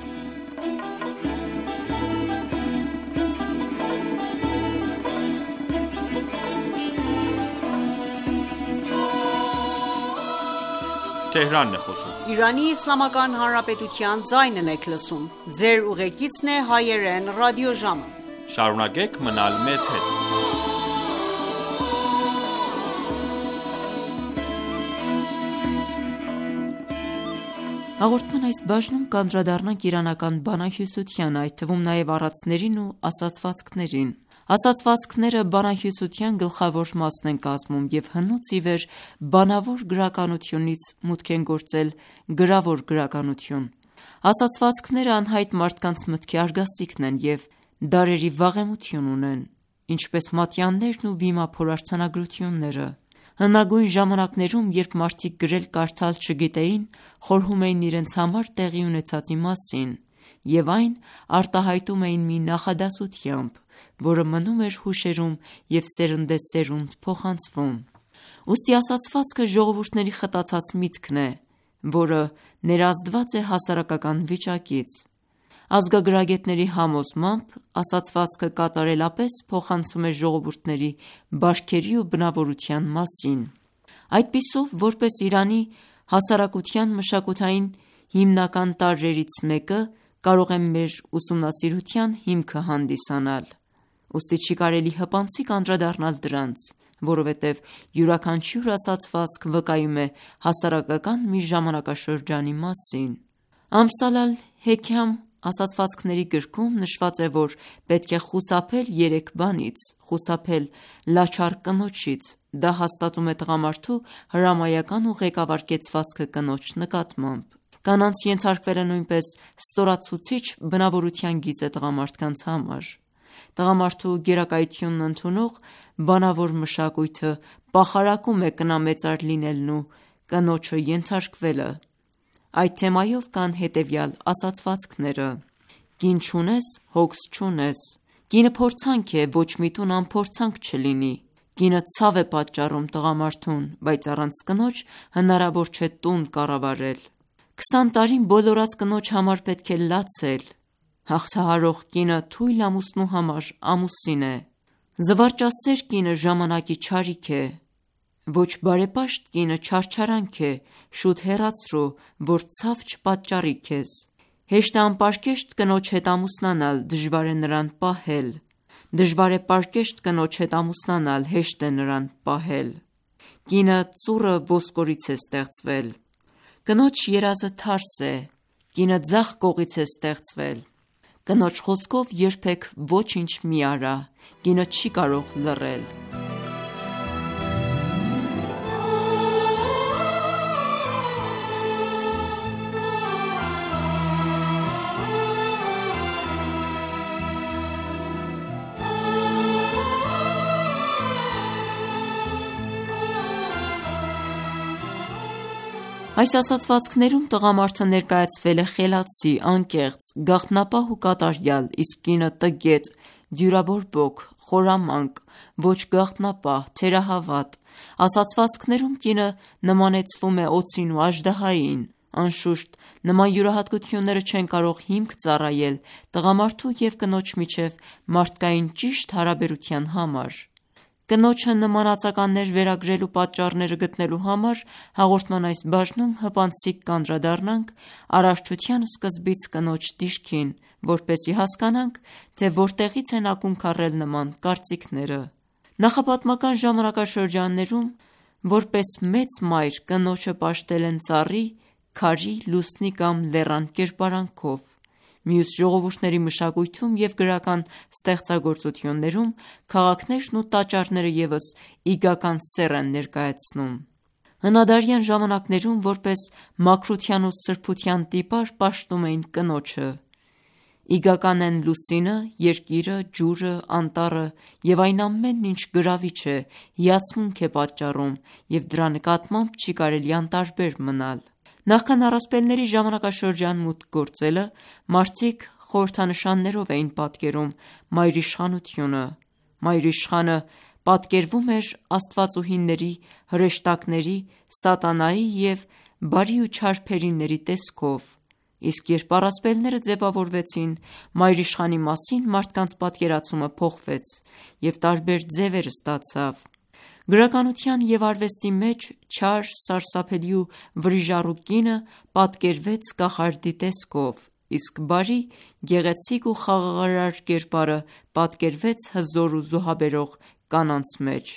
Իրանի Իսլամական Հանրապետության ձայնն եք լսում։ Ձեր ուղեկիցն է հայերեն ռադիոժամը։ Շարունակեք մնալ մեզ հետ։ Հաղորդման այս բաժնում կանդրադառնանք իրանական բանահյուսությանը, այդ թվում նաև առածներին ու ասացվածքներին։ Ասացվածքները բանահյուսության գլխավոր մասն են կազմում և հնուց ի վեր բանավոր գրականությունից մուտք են գործել գրավոր գրականություն։ Ասացվածքները անհայտ մարդկանց մտքի արգասիքն են և դարերի վաղեմություն ունեն, ինչպես մատյաններն ու վիմափոր արձանագրությունները։ Հնագույն ժամանակներում, երբ մարդիկ գրել-կարդալ չգիտեին, խորհում էին իրենց համար տեղի ունեցածի մասին և այն արտահայտում էին մի նախադասությամբ, որը մնում էր հուշերում և սերնդեսերունդ փոխանցվում։ Ուստի ասացվածքը ժողովուրդների խտացած միտքն է, որը ներազդված է հասարակական վիճակից։ Ազգագրագետների համոզմամբ ասացվածքը կատարելապես փոխանցում է ժողովուրդների բարքերի ու բնավորության մասին։ Այդպիսով, որպես Իրանի հասարակության մշակութային հիմնական տարրերից մեկը, կարող է մեր ուսումնասիրության հիմքը հանդիսանալ։ Ուստի չի կարելի հպանցիկ անդրադառնալ դրանց, որովհետև յուրաքանչյուր ասացվածք վկայում է հասարակական մի ժամանակաշրջանի մասին։ Ամսալ ալ-Հեքամ ասացվածքների գրքում նշված է, որ պետք է խուսափել 3 բանից. խուսափել լաչար կնոջից, դա հաստատում է տղամարդու հրամայական ու ղեկավար կեցվածքը կնոջ նկատմամբ։ Կանանց ենթարկվելը նույնպես ստորացուցիչ բնավորության գիծ է տղամարդկանց համար։ Տղամարդու գերակայությունն ընդունող բանավոր մշակույթը պախարակում է կնամեծար լինելն ու կնոջը ենթարկվելը։ Այդ թեմայով կան հետևյալ ասացվածքները. «Կին չունես, հոգս չունես»։ Կինը փորձանք է, ոչ մի տուն անփորձանք չլինի։ Կինը ցավ է պատճառում տղամարդուն, բայց առանց կնոջ հնարավոր չէ տուն կառավարել։ 20 տարին բոլորած կնոջ համար պետք է լացել։ Հաղթահարող կինը թույլ ամուսնու համար ամուսին է։ Զվարճասեր կինը ժամանակի չարիք է։ Ոչ բարեպաշտ կինը չարչարանք է, շուտ հեռացրու, որ ցավ չպատճառի քեզ։ Հեշտ է անպարկեշտ կնոջ հետ ամուսնանալ, դժվար է նրան պահել։ Դժվար է պարկեշտ կնոջ հետ ամուսնանալ, հեշտ է նրան պահել։ Կինը ծուռը ոսկորից է ստեղծվել։ Կնոջ երազը թարս է, կինը ձախ կողից է ստեղծվել։ Կնոջ խոսքով երբեք ոչինչ մի արա, կինը չի կարող լռել։ Այս ասացվածքներում տղամարդը ներկայացվել է խելացի, անկեղծ, գաղտնապահ ու կատարյալ, իսկ կինը տգետ, դյուրաբորբոք, խորամանկ, ոչ գաղտնապահ, թերահավատ։ Ասացվածքներում կինը նմանեցվում է օձին ու աժդահային։ Անշուշտ, նման յուրահատկությունները չեն կարող հիմք ծառայել տղամարդու և կնոջ միջև մարդկային ճիշտ հարաբերության համար։ Կնոջը նման ածականներ վերագրելու պատճառները գտնելու համար հաղորդման այս բաժնում հպանցիկ կանդրադառնանք արարչության սկզբից կնոջ դիրքին, որպեսզի հասկանանք, թե որտեղից են ակունք առել նման կարծիքները։ Նախապատմական ժամանակաշրջաններում որպես մեծ մայր կնոջը պաշտել են ծառի, քարի, լուսնի կամ լեռան կերպարանքով։ Մյուս ժողովուրդների մշակույթում և գրական ստեղծագործություններում քաղաքներն ու տաճարները ևս իգական սեռ են ներկայացնում։ Հնադարյան ժամանակներում որպես մաքրության ու սրբության տիպար պաշտում էին կնոջը։ Իգական են լուսինը, երկիրը, ջուրը, անտառը և այն ամենն, ինչ գրավիչ է, հիացմունք է պատճառում և դրա նկատմամբ չի կարելի անտարբեր մնալ։ Նախքան առասպելների ժամանակաշրջան մուտք գործելը, մարդիկ խորհրդանշաններով էին պատկերում մայրիշխանությունը։ Մայրիշխանը պատկերվում էր աստվածուհիների, հրեշտակների, սատանայի և բարի ու չար փերիների տեսքով։ Իսկ երբ առասպելները ձևավորվեցին, մայրիշխանի մասին մարդկանց պատկերացումը փոխվեց և տարբեր ձևեր ստացավ։ Գրականության և արվեստի մեջ չար, սարսափելի ու վրիժառու կինը պատկերվեց կախարդի տեսքով, իսկ բարի, գեղեցիկ ու խաղաղարար կերպարը պատկերվեց հզոր ու զոհաբերող կանանց մեջ։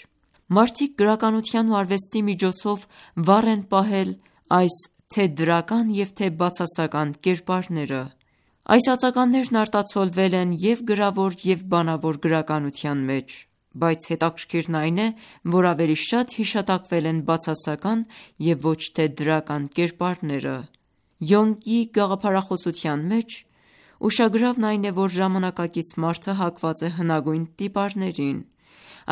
Մարդիկ գրականության ու արվեստի միջոցով վառ են պահել այս թե դրական և թե բացասական կերպարները։ Այս ածականներն արտացոլվել են և գրավոր և բանավոր գրականության մեջ, բայց հետաքրքիրն այն է, որ ավելի շատ հիշատակվել են բացասական և ոչ թե դրական կերպարները։ Յոնգի գաղափարախոսության մեջ ուշագրավն այն է, որ ժամանակակից մարդը հակված է հնագույն տիպարներին։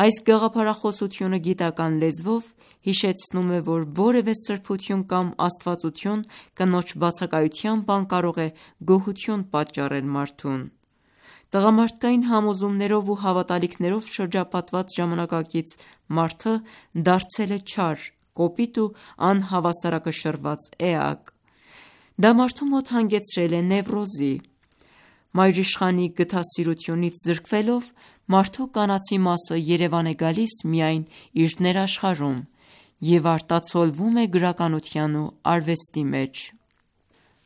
Այս գաղափարախոսությունը գիտական լեզվով հիշեցնում է, որ որևէ սրբություն կամ աստվածություն կնոջ բացակայությամբ անկարող է գոհություն պատճառել մարդուն։ Տղամարդկային համոզումներով ու հավատալիքներով շրջապատված ժամանակակից մարդը դարձել է չար, կոպիտ ու անհավասարակշռված էակ։ Դա մարդու մոտ հանգեցրել է նևրոզի։ Մայրիշխանի գթասիրությունից զրկվելով, մարդու կանացի մասը երևան է գալիս միայն իր ներաշխարհում և արտացոլվում է գրականության ու արվեստի մեջ։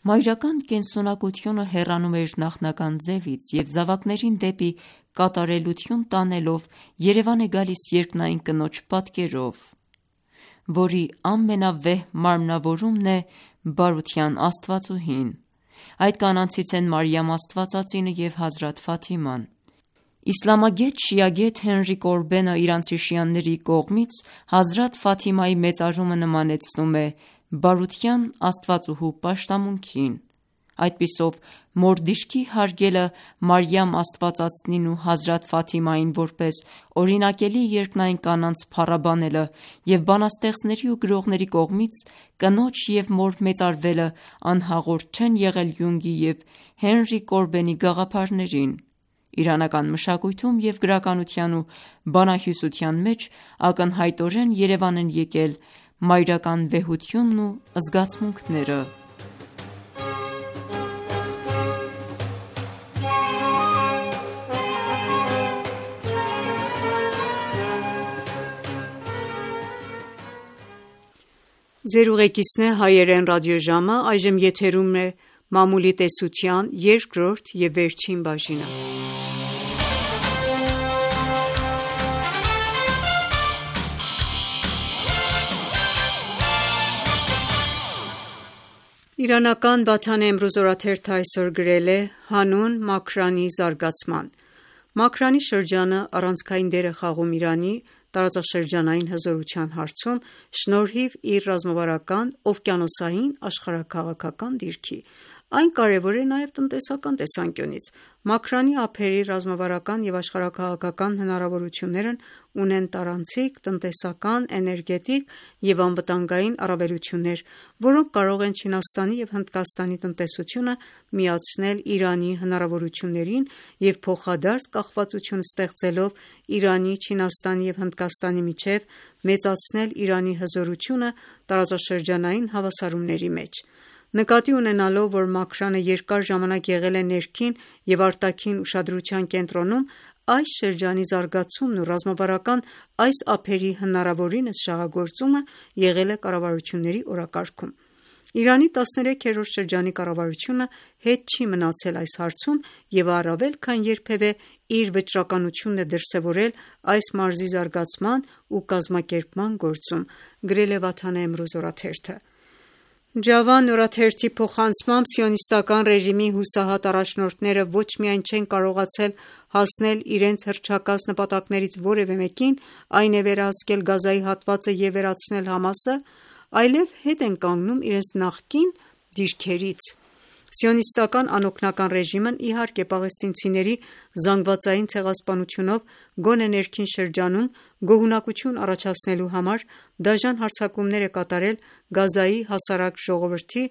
Մայրական կենսունակությունը հեռանում է իր նախնական ձևից և զավակներին դեպի կատարելություն տանելով երևան է գալիս երկնային կնոջ պատկերով, որի ամենավեհ մարմնավորումն է բարության աստվածուհին։ Այդ կանանցից են Մարիամ Աստվածածինը և Հազրաթ Ֆաթիման։ Իսլամագետ շիագետ Հենրի Կորբենը իրանցի շիաների կողմից Հազրաթ Ֆաթիմայի մեծարումը նմանեցնում է բարության աստվածուհու պաշտամունքին։ Այդպիսով մոր դիրքի հարգելը Մարիամ Աստվածածնին ու Հազրաթ Ֆաթիմային որպես օրինակելի երկնային կանանց փառաբանելը և բանաստեղծների ու գրողների կողմից կնոջ և մոր մեծարվելը անհաղորդ չեն եղել Յունգի և Հենրի Կորբենի գաղափարներին։ Իրանական մշակույթում և գրականության ու բանահյուսության մեջ ակնհայտորեն երևան են եկել մայրական վեհությունն ու զգացմունքները։ Ձեր ուղեկիցն է հայերեն ռադիոժամը, այժմ եթերում է մամուլի տեսության երկրորդ և վերջին բաժինը։ Իրանական Վաթան Էմրուզ օրաթերթը այսօր գրել է հանուն Մաքրանի զարգացման։ Մաքրանի շրջանը առանցքային դեր է խաղում Իրանի տարածաշրջանային հզորության հարցում շնորհիվ իր ռազմավարական, օվկիանոսային, աշխարհաքաղաքական դիրքի։ Այն կարևոր է նաև տնտեսական տեսանկյունից։ Մաքրանի ափերի ռազմավարական և աշխարհաքաղաքական հնարավորություններն ունեն տարանցիկ, տնտեսական, էներգետիկ և անվտանգային առավելություններ, որոնք կարող են Չինաստանի և Հնդկաստանի տնտեսությունը միացնել Իրանի հնարավորություններին և փոխադարձ կախվածություն ստեղծելով Իրանի, Չինաստանի և Հնդկաստանի միջև մեծացնել Իրանի հզորությունը տարածաշրջանային հավասարումների մեջ։ Նկատի ունենալով, որ Մաքրանը երկար ժամանակ եղել է ներքին և արտաքին ուշադրության կենտրոնում, այս շրջանի զարգացումն ու ռազմավարական այս ափերի հնարավորինս շահագործումը եղել է կառավարությունների օրակարգում։ Իրանի 13-րդ շրջանի կառավարությունը հետ չի մնացել այս հարցում և առավել քան երբևէ իր վճռականությունն է դրսևորել այս մարզի զարգացման ու կազմակերպման գործում, գրել է Վաթան Էմրուզ օրաթերթը։ Ջավան օրաթերթի փոխանցմամբ սիոնիստական ռեժիմի հուսահատ առաջնորդները ոչ միայն չեն կարողացել հասնել իրենց հռչակած նպատակներից որևէ մեկին, այն է վերահսկել Գազայի հատվածը և վերացնել Համասը, այլև հետ են կանգնում իրենց նախկին դիրքերից։ Սիոնիստական անօգնական ռեժիմն իհարկե պաղեստինցիների զանգվածային ցեղասպանությունով գոնե ներքին շրջանում գոհունակություն առաջացնելու համար դաժան հարձակումներ է կատարել Գազայի հասարակ ժողովրդի,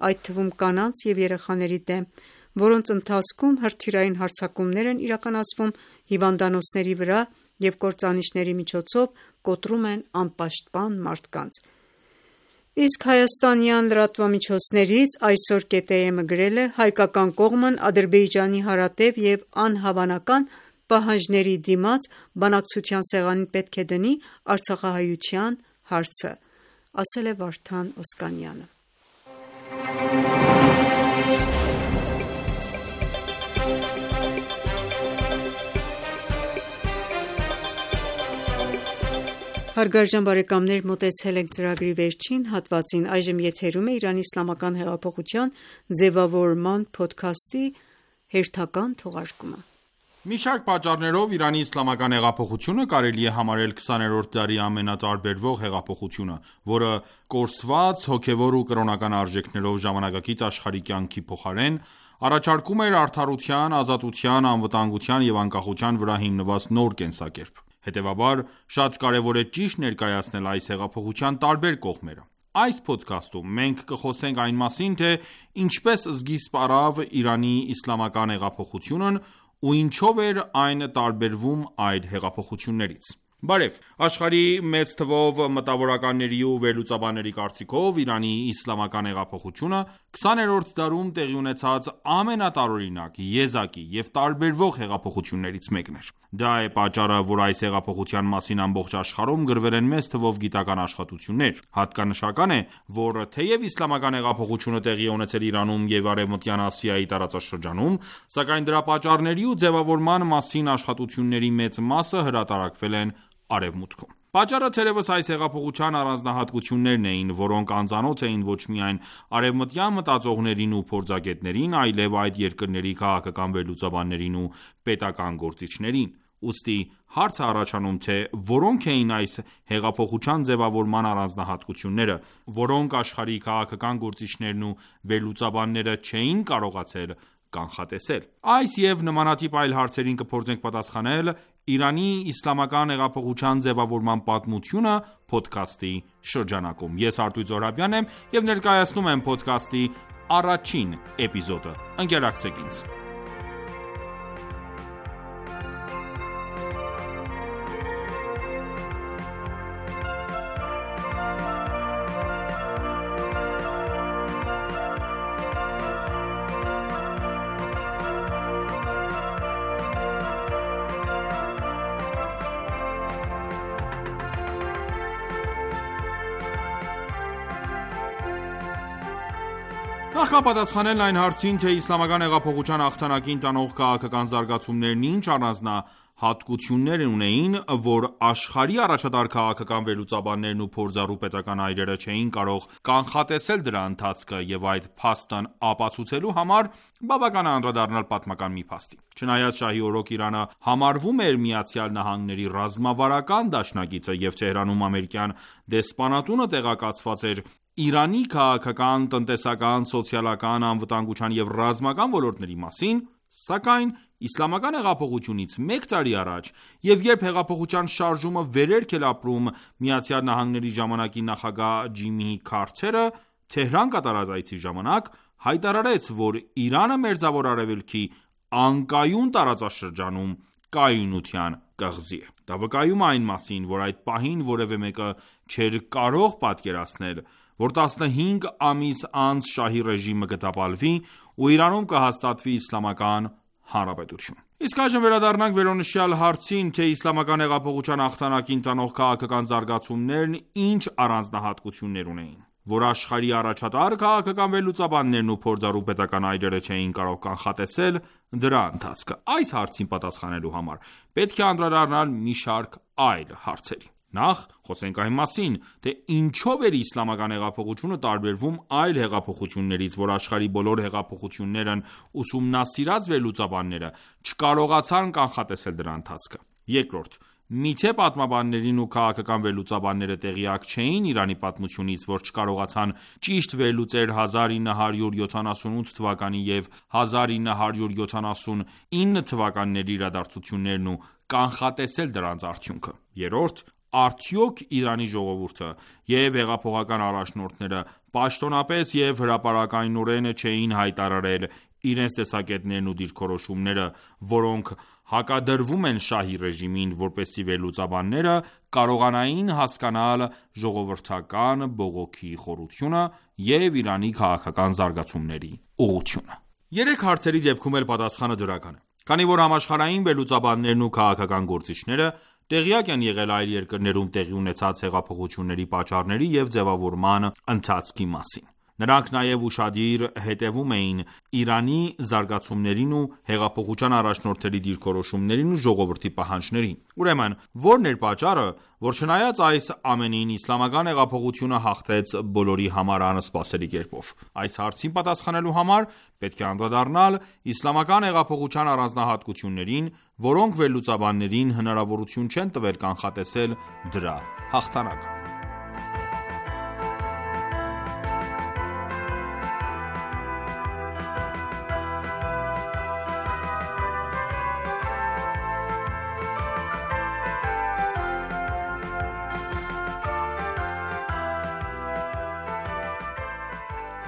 այդ թվում կանանց և երեխաների դեմ, որոնց ընթացքում հրթիռային հարձակումներ են իրականացվում հիվանդանոցների վրա և կործանիչների միջոցով կոտրում են անպաշտպան մարդկանց։ Իսկ հայաստանյան լրատվամիջոցներից այսօր ԿՏԷՄ գրել է. հայկական կողմն Ադրբեջանի հարատև և անհավանական պահանջների դիմաց բանակցության սեղանին պետք է դնի Արցախահայության հարցը, ասել է Վարդան Օսկանյանը։ Հարգարժան բարեկամներ, մոտեցել ենք ծրագրի վերջին հատվածին։ Այժմ եթերում է Իրանի Իսլամական հեղափոխության ձևավորման փոդքասթի հերթական թողարկումը։ Մի շարք պատճառներով Իրանի իսլամական հեղափոխությունը կարելի է համարել 20-րդ դարի ամենատարբերվող հեղափոխությունը, որը կորսված հոգևոր ու կրոնական արժեքներով ժամանակակից աշխարհի կյանքի փոխարեն առաջարկում էր արդարության, ազատության, անվտանգության և անկախության վրա հիմնված նոր կենսակերպ։ Հետևաբար, շատ կարևոր է ճիշտ ներկայացնել այս հեղափոխության տարբեր կողմերը։ Այս փոդքասթում մենք կխոսենք այն մասին, թե ինչպես սկիզբ առավ Իրանի իսլամական հեղափոխությունն ու ինչով էր այն տարբերվում այլ հեղափոխություններից։ Բարև, աշխարհի մեծ թվով մտավորականների ու վերլուծաբանների կարծիքով Իրանի իսլամական հեղափոխությունը 20-րդ դարում տեղի ունեցած ամենատարօրինակ, եզակի և տարբերվող հեղափոխություններից մեկն էր։ Դա է պատճառը, որ այս հեղափոխության մասին ամբողջ աշխարհում գրվել են մեծ թվով գիտական աշխատություններ։ Հատկանշական է, որ թեև իսլամական հեղափոխությունը տեղի է ունեցել Իրանում և Արևմտյան Ասիայի տարածաշրջանում, սակայն դրա պատճառների ու ձևավորման մասին աշխատությունների մեծ մասը հրատարակվել են Արևմուտքում։ Պատճառը թերևս այս հեղափոխության առանձնահատկություններն էին, որոնք անծանոթ էին ոչ միայն արևմտյան մտածողներին ու փորձագետներին, այլև այդ երկրների քաղաքական վերլուծաբաններին ու պետական գործիչներին։ Ուստի հարց է առաջանում, թե որոնք էին այս հեղափոխության ձևավորման առանձնահատկությունները, որոնք աշխարհի քաղաքական գործիչներն ու վերլուծաբանները չէին կարողացել կանխատեսել։ Այս և նմանատիպ այլ հարցերին կփորձենք պատասխանել «Իրանի իսլամական հեղափոխության ձևավորման պատմությունը» փոդքասթի շրջանակում։ Ես Արտույտ Զոհրաբյանն եմ և ներկայացնում եմ փոդքասթի առաջին էպիզոդը։ Ընկերակցեք ինձ։ Նախքան պատասխանելն այն հարցին, թե իսլամական հեղափոխության հաղթանակին տանող քաղաքական զարգացումներն ինչ առանձնահատկություններ հատկություններ ունեին, որ աշխարհի առաջատար քաղաքական վերլուծաբաններն ու փորձառու պետական այրերը չէին կարող կանխատեսել դրա ընթացքը և այդ փաստն ապացուցելու համար բավական է անդրադառնալ պատմական մի փաստի։ Չնայած շահի օրոք Իրանը համարվում էր ԱՄՆ-ի ռազմավարական դաշնակիցը և Թեհրանում ամերիկյան դեսպանատունը տեղեկացված էր Իրանի քաղաքական, տնտեսական, սոցիալական, անվտանգության և ռազմական ոլորտների մասին, սակայն Իսլամական հեղափոխությունից մեկ տարի առաջ և երբ հեղափոխության շարժումը վերելք էր ապրում ԱՄՆ ժամանակի նախագահ Ջիմի Քարթերը Թեհրան կատարած այցի ժամանակ հայտարարեց, որ Իրանը Մերձավոր Արևելքի անկայուն տարածաշրջանում կայունության կղզի է։ Դա վկայում է այն մասին, որ այդ պահին որևէ մեկը չէր կարող պատկերացնել, որ 15 ամիս անց շահի ռեժիմը կտապալվի ու Իրանում կհաստատվի իսլամական հանրապետություն։ Իսկ այժմ վերադառնանք վերոնշյալ հարցին, թե իսլամական հեղափոխության հաղթանակին տանող քաղաքական զարգացումներն ինչ առանձնահատկություններ ունեին, որ աշխարհի առաջատար քաղաքական վերլուծաբաններն ու փորձառու պետական այրերը չէին կարող կանխատեսել դրա ընթացքը։ Այս հարցին պատասխանելու համար պետք է անդրադառնալ մի շարք այլ հարցերի։ Նախ խոսենք այն մասին, թե ինչով էր իսլամական հեղափոխությունը տարբերվում այլ հեղափոխություններից, որ աշխարհի բոլոր հեղափոխություններն ուսումնասիրած վերլուծաբանները չկարողացան կանխատեսել դրա ընթացքը։ Երկրորդ, միթե պատմաբաններն ու քաղաքական վերլուծաբանները տեղյակ չէին Իրանի պատմությունից, որ չկարողացան ճիշտ վերլուծել 1978 թվականի և 1979 թվականների իրադարձություններն ու կանխատեսել դրանց արդյունքը։ Երրորդ, արդյոք Իրանի ժողովուրդը և հեղափոխական առաջնորդները պաշտոնապես և հրապարակայնորեն չէին հայտարարել իրենց տեսակետներն ու դիրքորոշումները, որոնք հակադրվում են շահի ռեժիմին, որպեսզի վերլուծաբանները կարողանային հասկանալ ժողովրդական բողոքի խորությունը և Իրանի քաղաքական զարգացումների ուղղությունը։ Երեք հարցերի դեպքում էլ պատասխանը դրական է, քանի որ համաշխարհային վերլուծաբաններն ու քաղաքական գործիչները տեղյակ են եղել այլ երկրներում տեղի ունեցած հեղափոխությունների պատճառների և ձևավորման ընթացքի մասին։ Նրանք նաև ուշադիր հետևում էին Իրանի զարգացումներին ու հեղափոխության առաջնորդների դիրքորոշումներին ու ժողովրդի պահանջներին։ Ուրեմն, ո՞րն էր պատճառը, որ չնայած այս ամենին իսլամական հեղափոխությունը հաղթեց բոլորի համար անսպասելի կերպով։ Այս հարցին պատասխանելու համար պետք է անդրադառնալ իսլամական հեղափոխության առանձնահատկություններին, որոնք վերլուծաբաններին հնարավորություն չեն տվել կանխատեսել դրա հաղթանակը։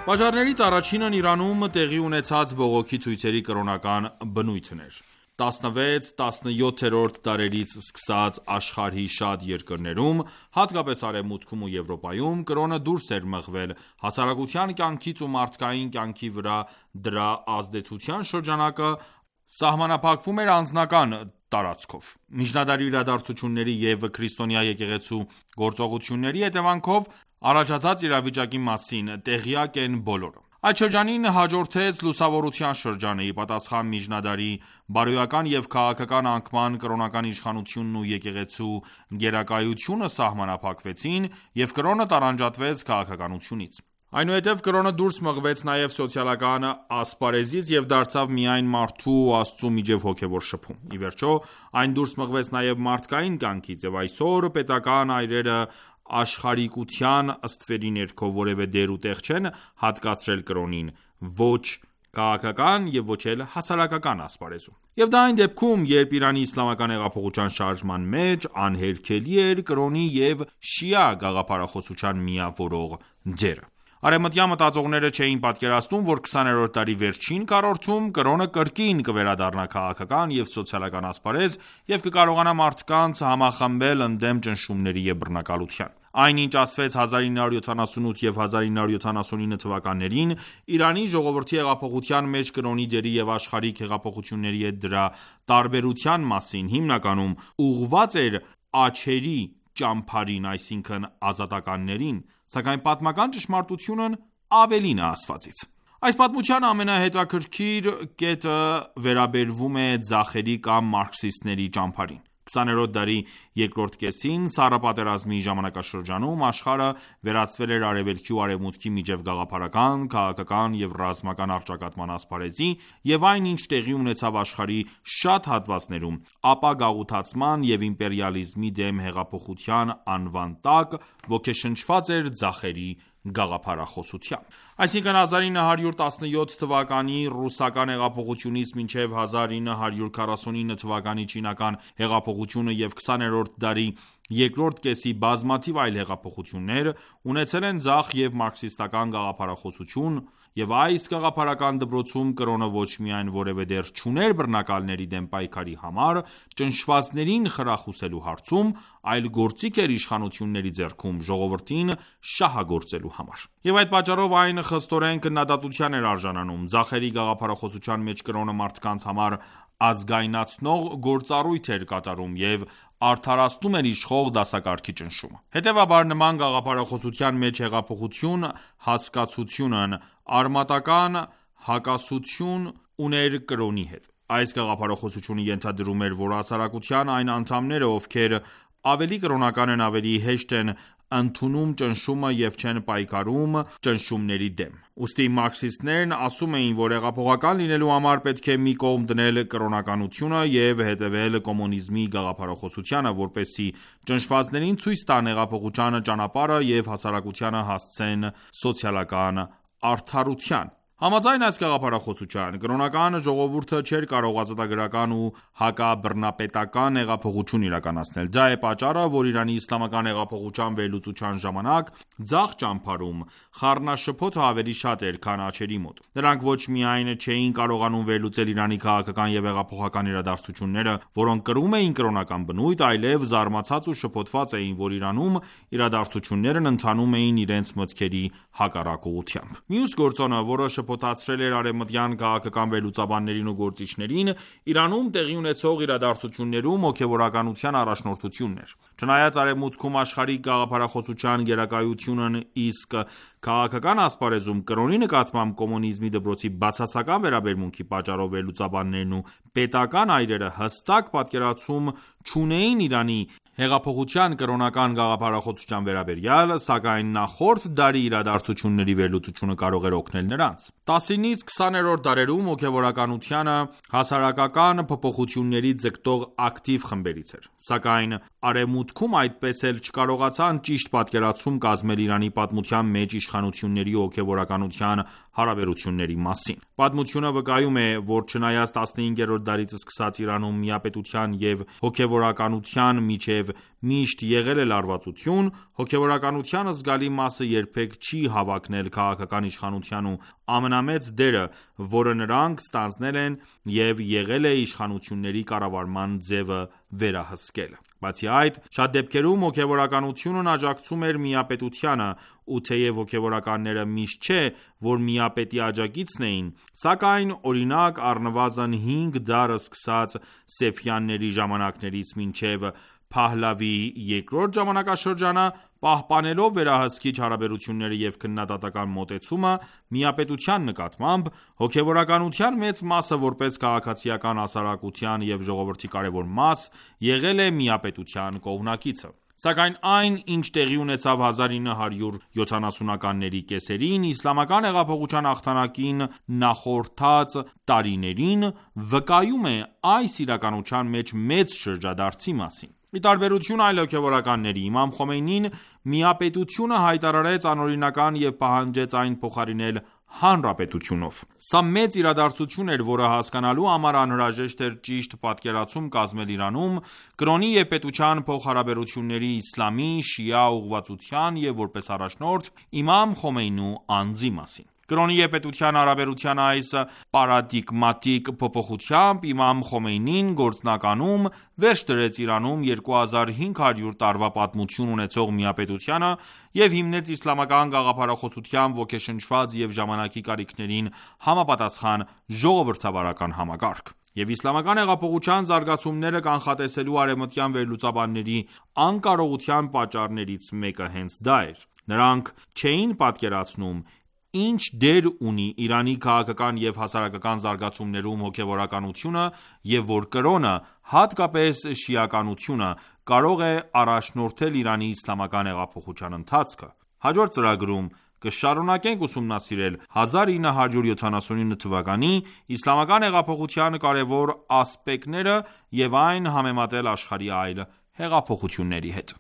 Պատճառներից առաջինն Իրանում տեղի ունեցած բողոքի ցույցերի կրոնական բնույթն էր։ 16-17-րդ դարերից սկսած աշխարհի շատ երկրներում, հատկապես Արևմուտքում ու Եվրոպայում, կրոնը դուրս էր մղվել հասարակության կյանքից ու մարդկային կյանքի վրա դրա ազդեցության շրջանակը սահմանափակվում էր անձնական տարածքով։ Միջնադարի իրադարձությունների և քրիստոնյա եկեղեցու գործողությունների հետևանքով առաջացած իրավիճակի մասին տեղյակ են բոլորը։ Այդ շրջանին հաջորդեց լուսավորության շրջանը, ի պատասխան միջնադարի բարոյական և քաղաքական անկման կրոնական իշխանությունն ու եկեղեցու գերակայությունը սահմանափակվեցին և կրոնը տարանջատվեց քաղաքականությունից։ Այնուհետև կրոնը դուրս մղվեց նաև սոցիալական ասպարեզից և դարձավ միայն մարդու ու Աստծու միջև հոգևոր շփում։ Ի վերջո, այն դուրս մղվեց նաև մարդկային կյանքից, և այսօր պետական այրերը աշխարհիկության ստվերի ներքո որևէ դեր ու տեղ չեն հատկացրել կրոնին, ոչ քաղաքական և ոչ էլ հասարակական ասպարեզում։ Եվ դա այն դեպքում, երբ Իրանի իսլամական հեղափոխության շարժման մեջ անհերքելի էր կրոնի և շիա գաղափարախոսության միավորող դերը։ Արևմտյան մտածողները չէին պատկերացնում, որ 20-րդ դարի վերջին քառորդում կրոնը կրկին կվերադառնա քաղաքական և սոցիալական ասպարեզ և կկարողանա մարդկանց համախմբել ընդդեմ ճնշումների և բռնակալության։ Այն, ինչ ասվեց 1978 և 1979 թվականներին Իրանի ժողովրդի հեղափոխության մեջ կրոնի դերի և աշխարհիկ հեղափոխությունների հետ դրա տարբերության մասին, հիմնականում ուղղված էր աջերի ճամբարին, այսինքն ազատականներին, սակայն պատմական ճշմարտությունն ավելին է ասվածից։ Այս պատմության ամենահետաքրքիր կետը վերաբերվում է ձախերի կամ մարքսիստների ճամբարին։ 20-րդ դարի երկրորդ կեսին Սառը պատերազմի ժամանակաշրջանում աշխարհը վերածվել էր Արևելքի ու Արևմուտքի միջև գաղափարական, քաղաքական և ռազմական առճակատման ասպարեզի, և այն, ինչ տեղի ունեցավ աշխարհի շատ հատվածներում, ապագաղութացման և իմպերիալիզմի դեմ հեղափոխության անվան տակ ոգեշնչված էր ձախերի գաղափարախոսությամբ։ Այսինքն 1917 թվականի ռուսական հեղափոխությունից մինչև 1949 թվականի չինական հեղափոխությունը և 20-րդ դարի երկրորդ կեսի բազմաթիվ այլ հեղափոխություններ ունեցել են ձախ և մարքսիստական գաղափարախոսություն, և այս գաղափարական դպրոցում կրոնը ոչ միայն որևէ դեր չուներ բռնակալների դեմ պայքարի համար ճնշվածներին խրախուսելու հարցում, այլ գործիք էր իշխանությունների ձեռքում ժողովրդին շահագործելու համար։ Եվ այդ պատճառով այն խստորեն քննադատության էր արժանանում։ Ձախերի գաղափարախոսության մեջ կրոնը մարդկանց համար ազգայնացնող գործառույթ էր կատարում և արդարացնում էր իշխող դասակարգի ճնշումը։ Հետևաբար, նման գաղափարախոսության մեջ հեղափոխություն հասկացությունն արմատական հակասություն ուներ կրոնի հետ։ Այս գաղափարախոսությունը ենթադրում էր, որ հասարակության այն անդամները, ովքեր ավելի կրոնական են, ավելի հեշտ են ընդունում ճնշումը և չեն պայքարում ճնշումների դեմ։ Ուստի մարքսիստներն ասում էին, որ հեղափոխական լինելու համար պետք է մի կողմ դնել կրոնականությունը և հետևել կոմունիզմի գաղափարախոսությանը, որպեսզի ճնշվածներին ցույց տան հեղափոխության ճանապարհը և հասարակությանը հասցնեն սոցիալական արդարության։ Համաձայն այս գաղափարախոսության, կրոնական ժողովուրդը չէր կարող ազատագրական ու հակաբռնապետական հեղափոխություն իրականացնել։ Դա է պատճառը, որ Իրանի իսլամական հեղափոխության վերլուծության ժամանակ ձախ ճամբարում խառնաշփոթը ավելի շատ էր, քան աջերի մոտ։ Նրանք ոչ միայն չէին կարողանում վերլուծել Իրանի քաղաքական և հեղափոխական իրադարձությունները, որոնք կրում էին կրոնական բնույթ, այլև զարմացած ու շփոթված էին, որ Իրանում իրադարձություններն ընթանում էին իրենց մտքերի հակառակ ուղղությամբ։ Մյուս գործոնը, որը շփոթացրել էր արևմտյան քաղաքական վերլուծաբաններին ու գործիչներին, Իրանում տեղի ունեցող իրադարձություններում հոգևորականության առաջնորդությունն էր։ Չնայած արևմուտքում աշխարհիկ գաղափարախոսության գերակայությունն, իսկ քաղաքական ասպարեզում կրոնի նկատմամբ կոմունիզմի դպրոցի բացասական վերաբերմունքի պատճառով վերլուծաբաններն ու պետական այրերը հստակ պատկերացում չունեին Իրանի հեղափոխության կրոնական գաղափարախոսության վերաբերյալ, սակայն նախորդ դարի իրադարձությունների վերլուծությունը կարող էր օգնել նրանց։ 19-ից 20-րդ դարերում հոգևորականությունը հասարակական փոփոխությունների ձգտող ակտիվ խմբերից էր, սակայն արևմուտքում այդպես էլ չկարողացան ճիշտ պատկերացում կազմել Իրանի պատմության մեջ իշխանությունների ու հոգևորականության հարաբերությունների մասին։ Պատմությունը վկայում է, որ չնայած 15-րդ դարից սկսած Իրանում միապետության և հոգևորականության միջև միշտ եղել է լարվածություն, հոգևորականության զգալի մասը երբեք չի հավակնել քաղաքական իշխանության ու ամենամեծ դերը, որը նրանք ստանձնել են և եղել է իշխանությունների կառավարման ձևը վերահսկելը։ Բացի այդ, շատ դեպքերում հոգևորականությունն աջակցում էր միապետությանը, ու թեև հոգևորականները միշտ չէ, որ միապետի աջակիցն էին, սակայն օրինակ առնվազն 5 դար սկսած Սեֆյանների ժամանակներից մինչև Փահլավի երկրորդ ժամանակաշրջանը, պահպանելով վերահսկիչ հարաբերությունները և քննադատական մոտեցումը միապետության նկատմամբ, հոգևորականության մեծ մասը որպես քաղաքացիական հասարակության և ժողովրդի կարևոր մաս, եղել է միապետության կողմնակիցը։ Սակայն այն, ինչ տեղի ունեցավ 1970-ականների կեսերին, իսլամական հեղափոխության հաղթանակին նախորդած տարիներին, վկայում է այս իրականության մեջ մեծ շրջադարձի մասին։ Ի տարբերություն այլ հոգևորականների, Իմամ Խոմեյնին միապետությունը հայտարարեց անօրինական և պահանջեց այն փոխարինել հանրապետությունով։ Սա մեծ իրադարձություն էր, որը հասկանալու համար անհրաժեշտ էր ճիշտ պատկերացում կազմել Իրանում կրոնի և պետության փոխհարաբերությունների իսլամի, շիա ուղղվածության և որպես առաջնորդ Իմամ Խոմեյնու անձի մասին։ Կրոնի և պետության հարաբերության այս պարադիգմատիկ փոփոխությամբ Իմամ Խոմեյնին գործնականում վերջ դրեց Իրանում 2500 տարվա պատմություն ունեցող միապետությանը և հիմնեց իսլամական գաղափարախոսությամբ ոգեշնչված և ժամանակի կարիքներին համապատասխան ժողովրդավարական համակարգ։ Եվ իսլամական հեղափոխության զարգացումները կանխատեսելու արևմտյան վերլուծաբանների անկարողության պատճառներից մեկը հենց դա էր։ Նրանք չէին պատկերացնում ինչ դեր ունի Իրանի քաղաքական և հասարակական զարգացումներում հոգևորականությունը և որ կրոնը, հատկապես շիականությունը, կարող է առաջնորդել Իրանի իսլամական հեղափոխության ընթացքը։ Հաջորդ ծրագրում կշարունակենք ուսումնասիրել 1979 թվականի իսլամական հեղափոխության կարևոր ասպեկտները և այն համեմատել աշխարհի այլ հեղափոխությունների հետ։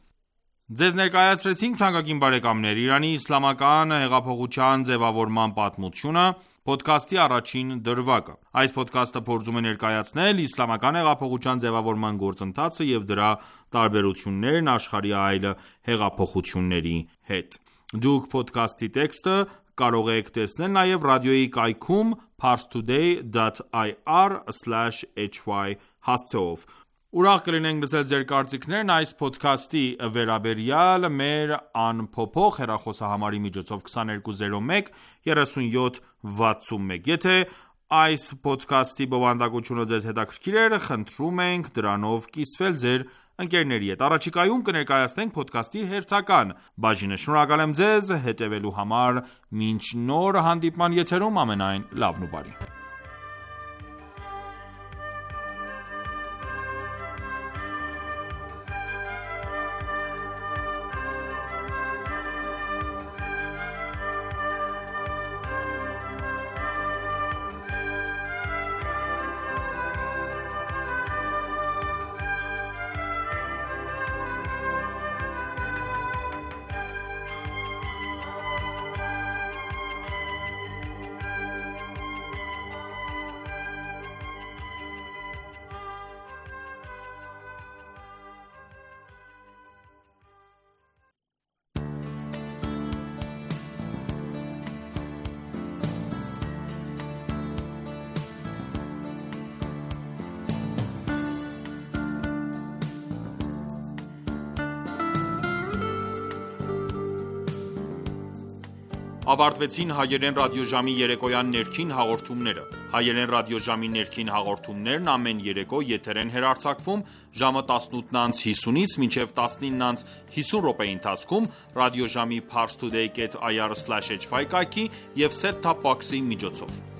Ձեզ ներկայացրեցինք թանկագին բարեկամներ Իրանի իսլամական հեղափոխության ձևավորման պատմությունը, փոդքասթի առաջին դրվագը։ Այս փոդքասթը փորձում է ներկայացնել իսլամական հեղափոխության ձևավորման գործընթացը և դրա տարբերություններն աշխարհի այլ հեղափոխությունների հետ։ Դուք փոդքասթի տեքստը կարող եք տեսնել նաև ռադիոյի կայքում parstoday.ir/hy հասցեով։ Ուրախ կլինենք լսել ձեր կարծիքներն այս փոդքասթի վերաբերյալ մեր անփոփոխ հեռախոսահամարի միջոցով 2201 3761։ Եթե այս փոդքասթի բովանդակությունը ձեզ հետաքրքիր էր, խնդրում ենք դրանով կիսվել ձեր ընկերների հետ։ Առաջիկայում կներկայացնենք փոդքասթի հերթական բաժինը։ Շնորհակալ եմ ձեզ հետևելու համար։ Մինչ նոր հանդիպման եթերում ամենայն լավն ու բարին։ Ավարտվեցին հայերեն ռադիոժամի երեկոյան ներքին հաղորդումները։ Հայերեն ռադիոժամի ներքին հաղորդումներն ամեն երեկո եթեր են հեռարձակվում ժամը 18:50-ից մինչև 19:50 րոպեի ընթացքում ռադիոժամի parstoday.ir/hy կայքի և set-top box-ի միջոցով։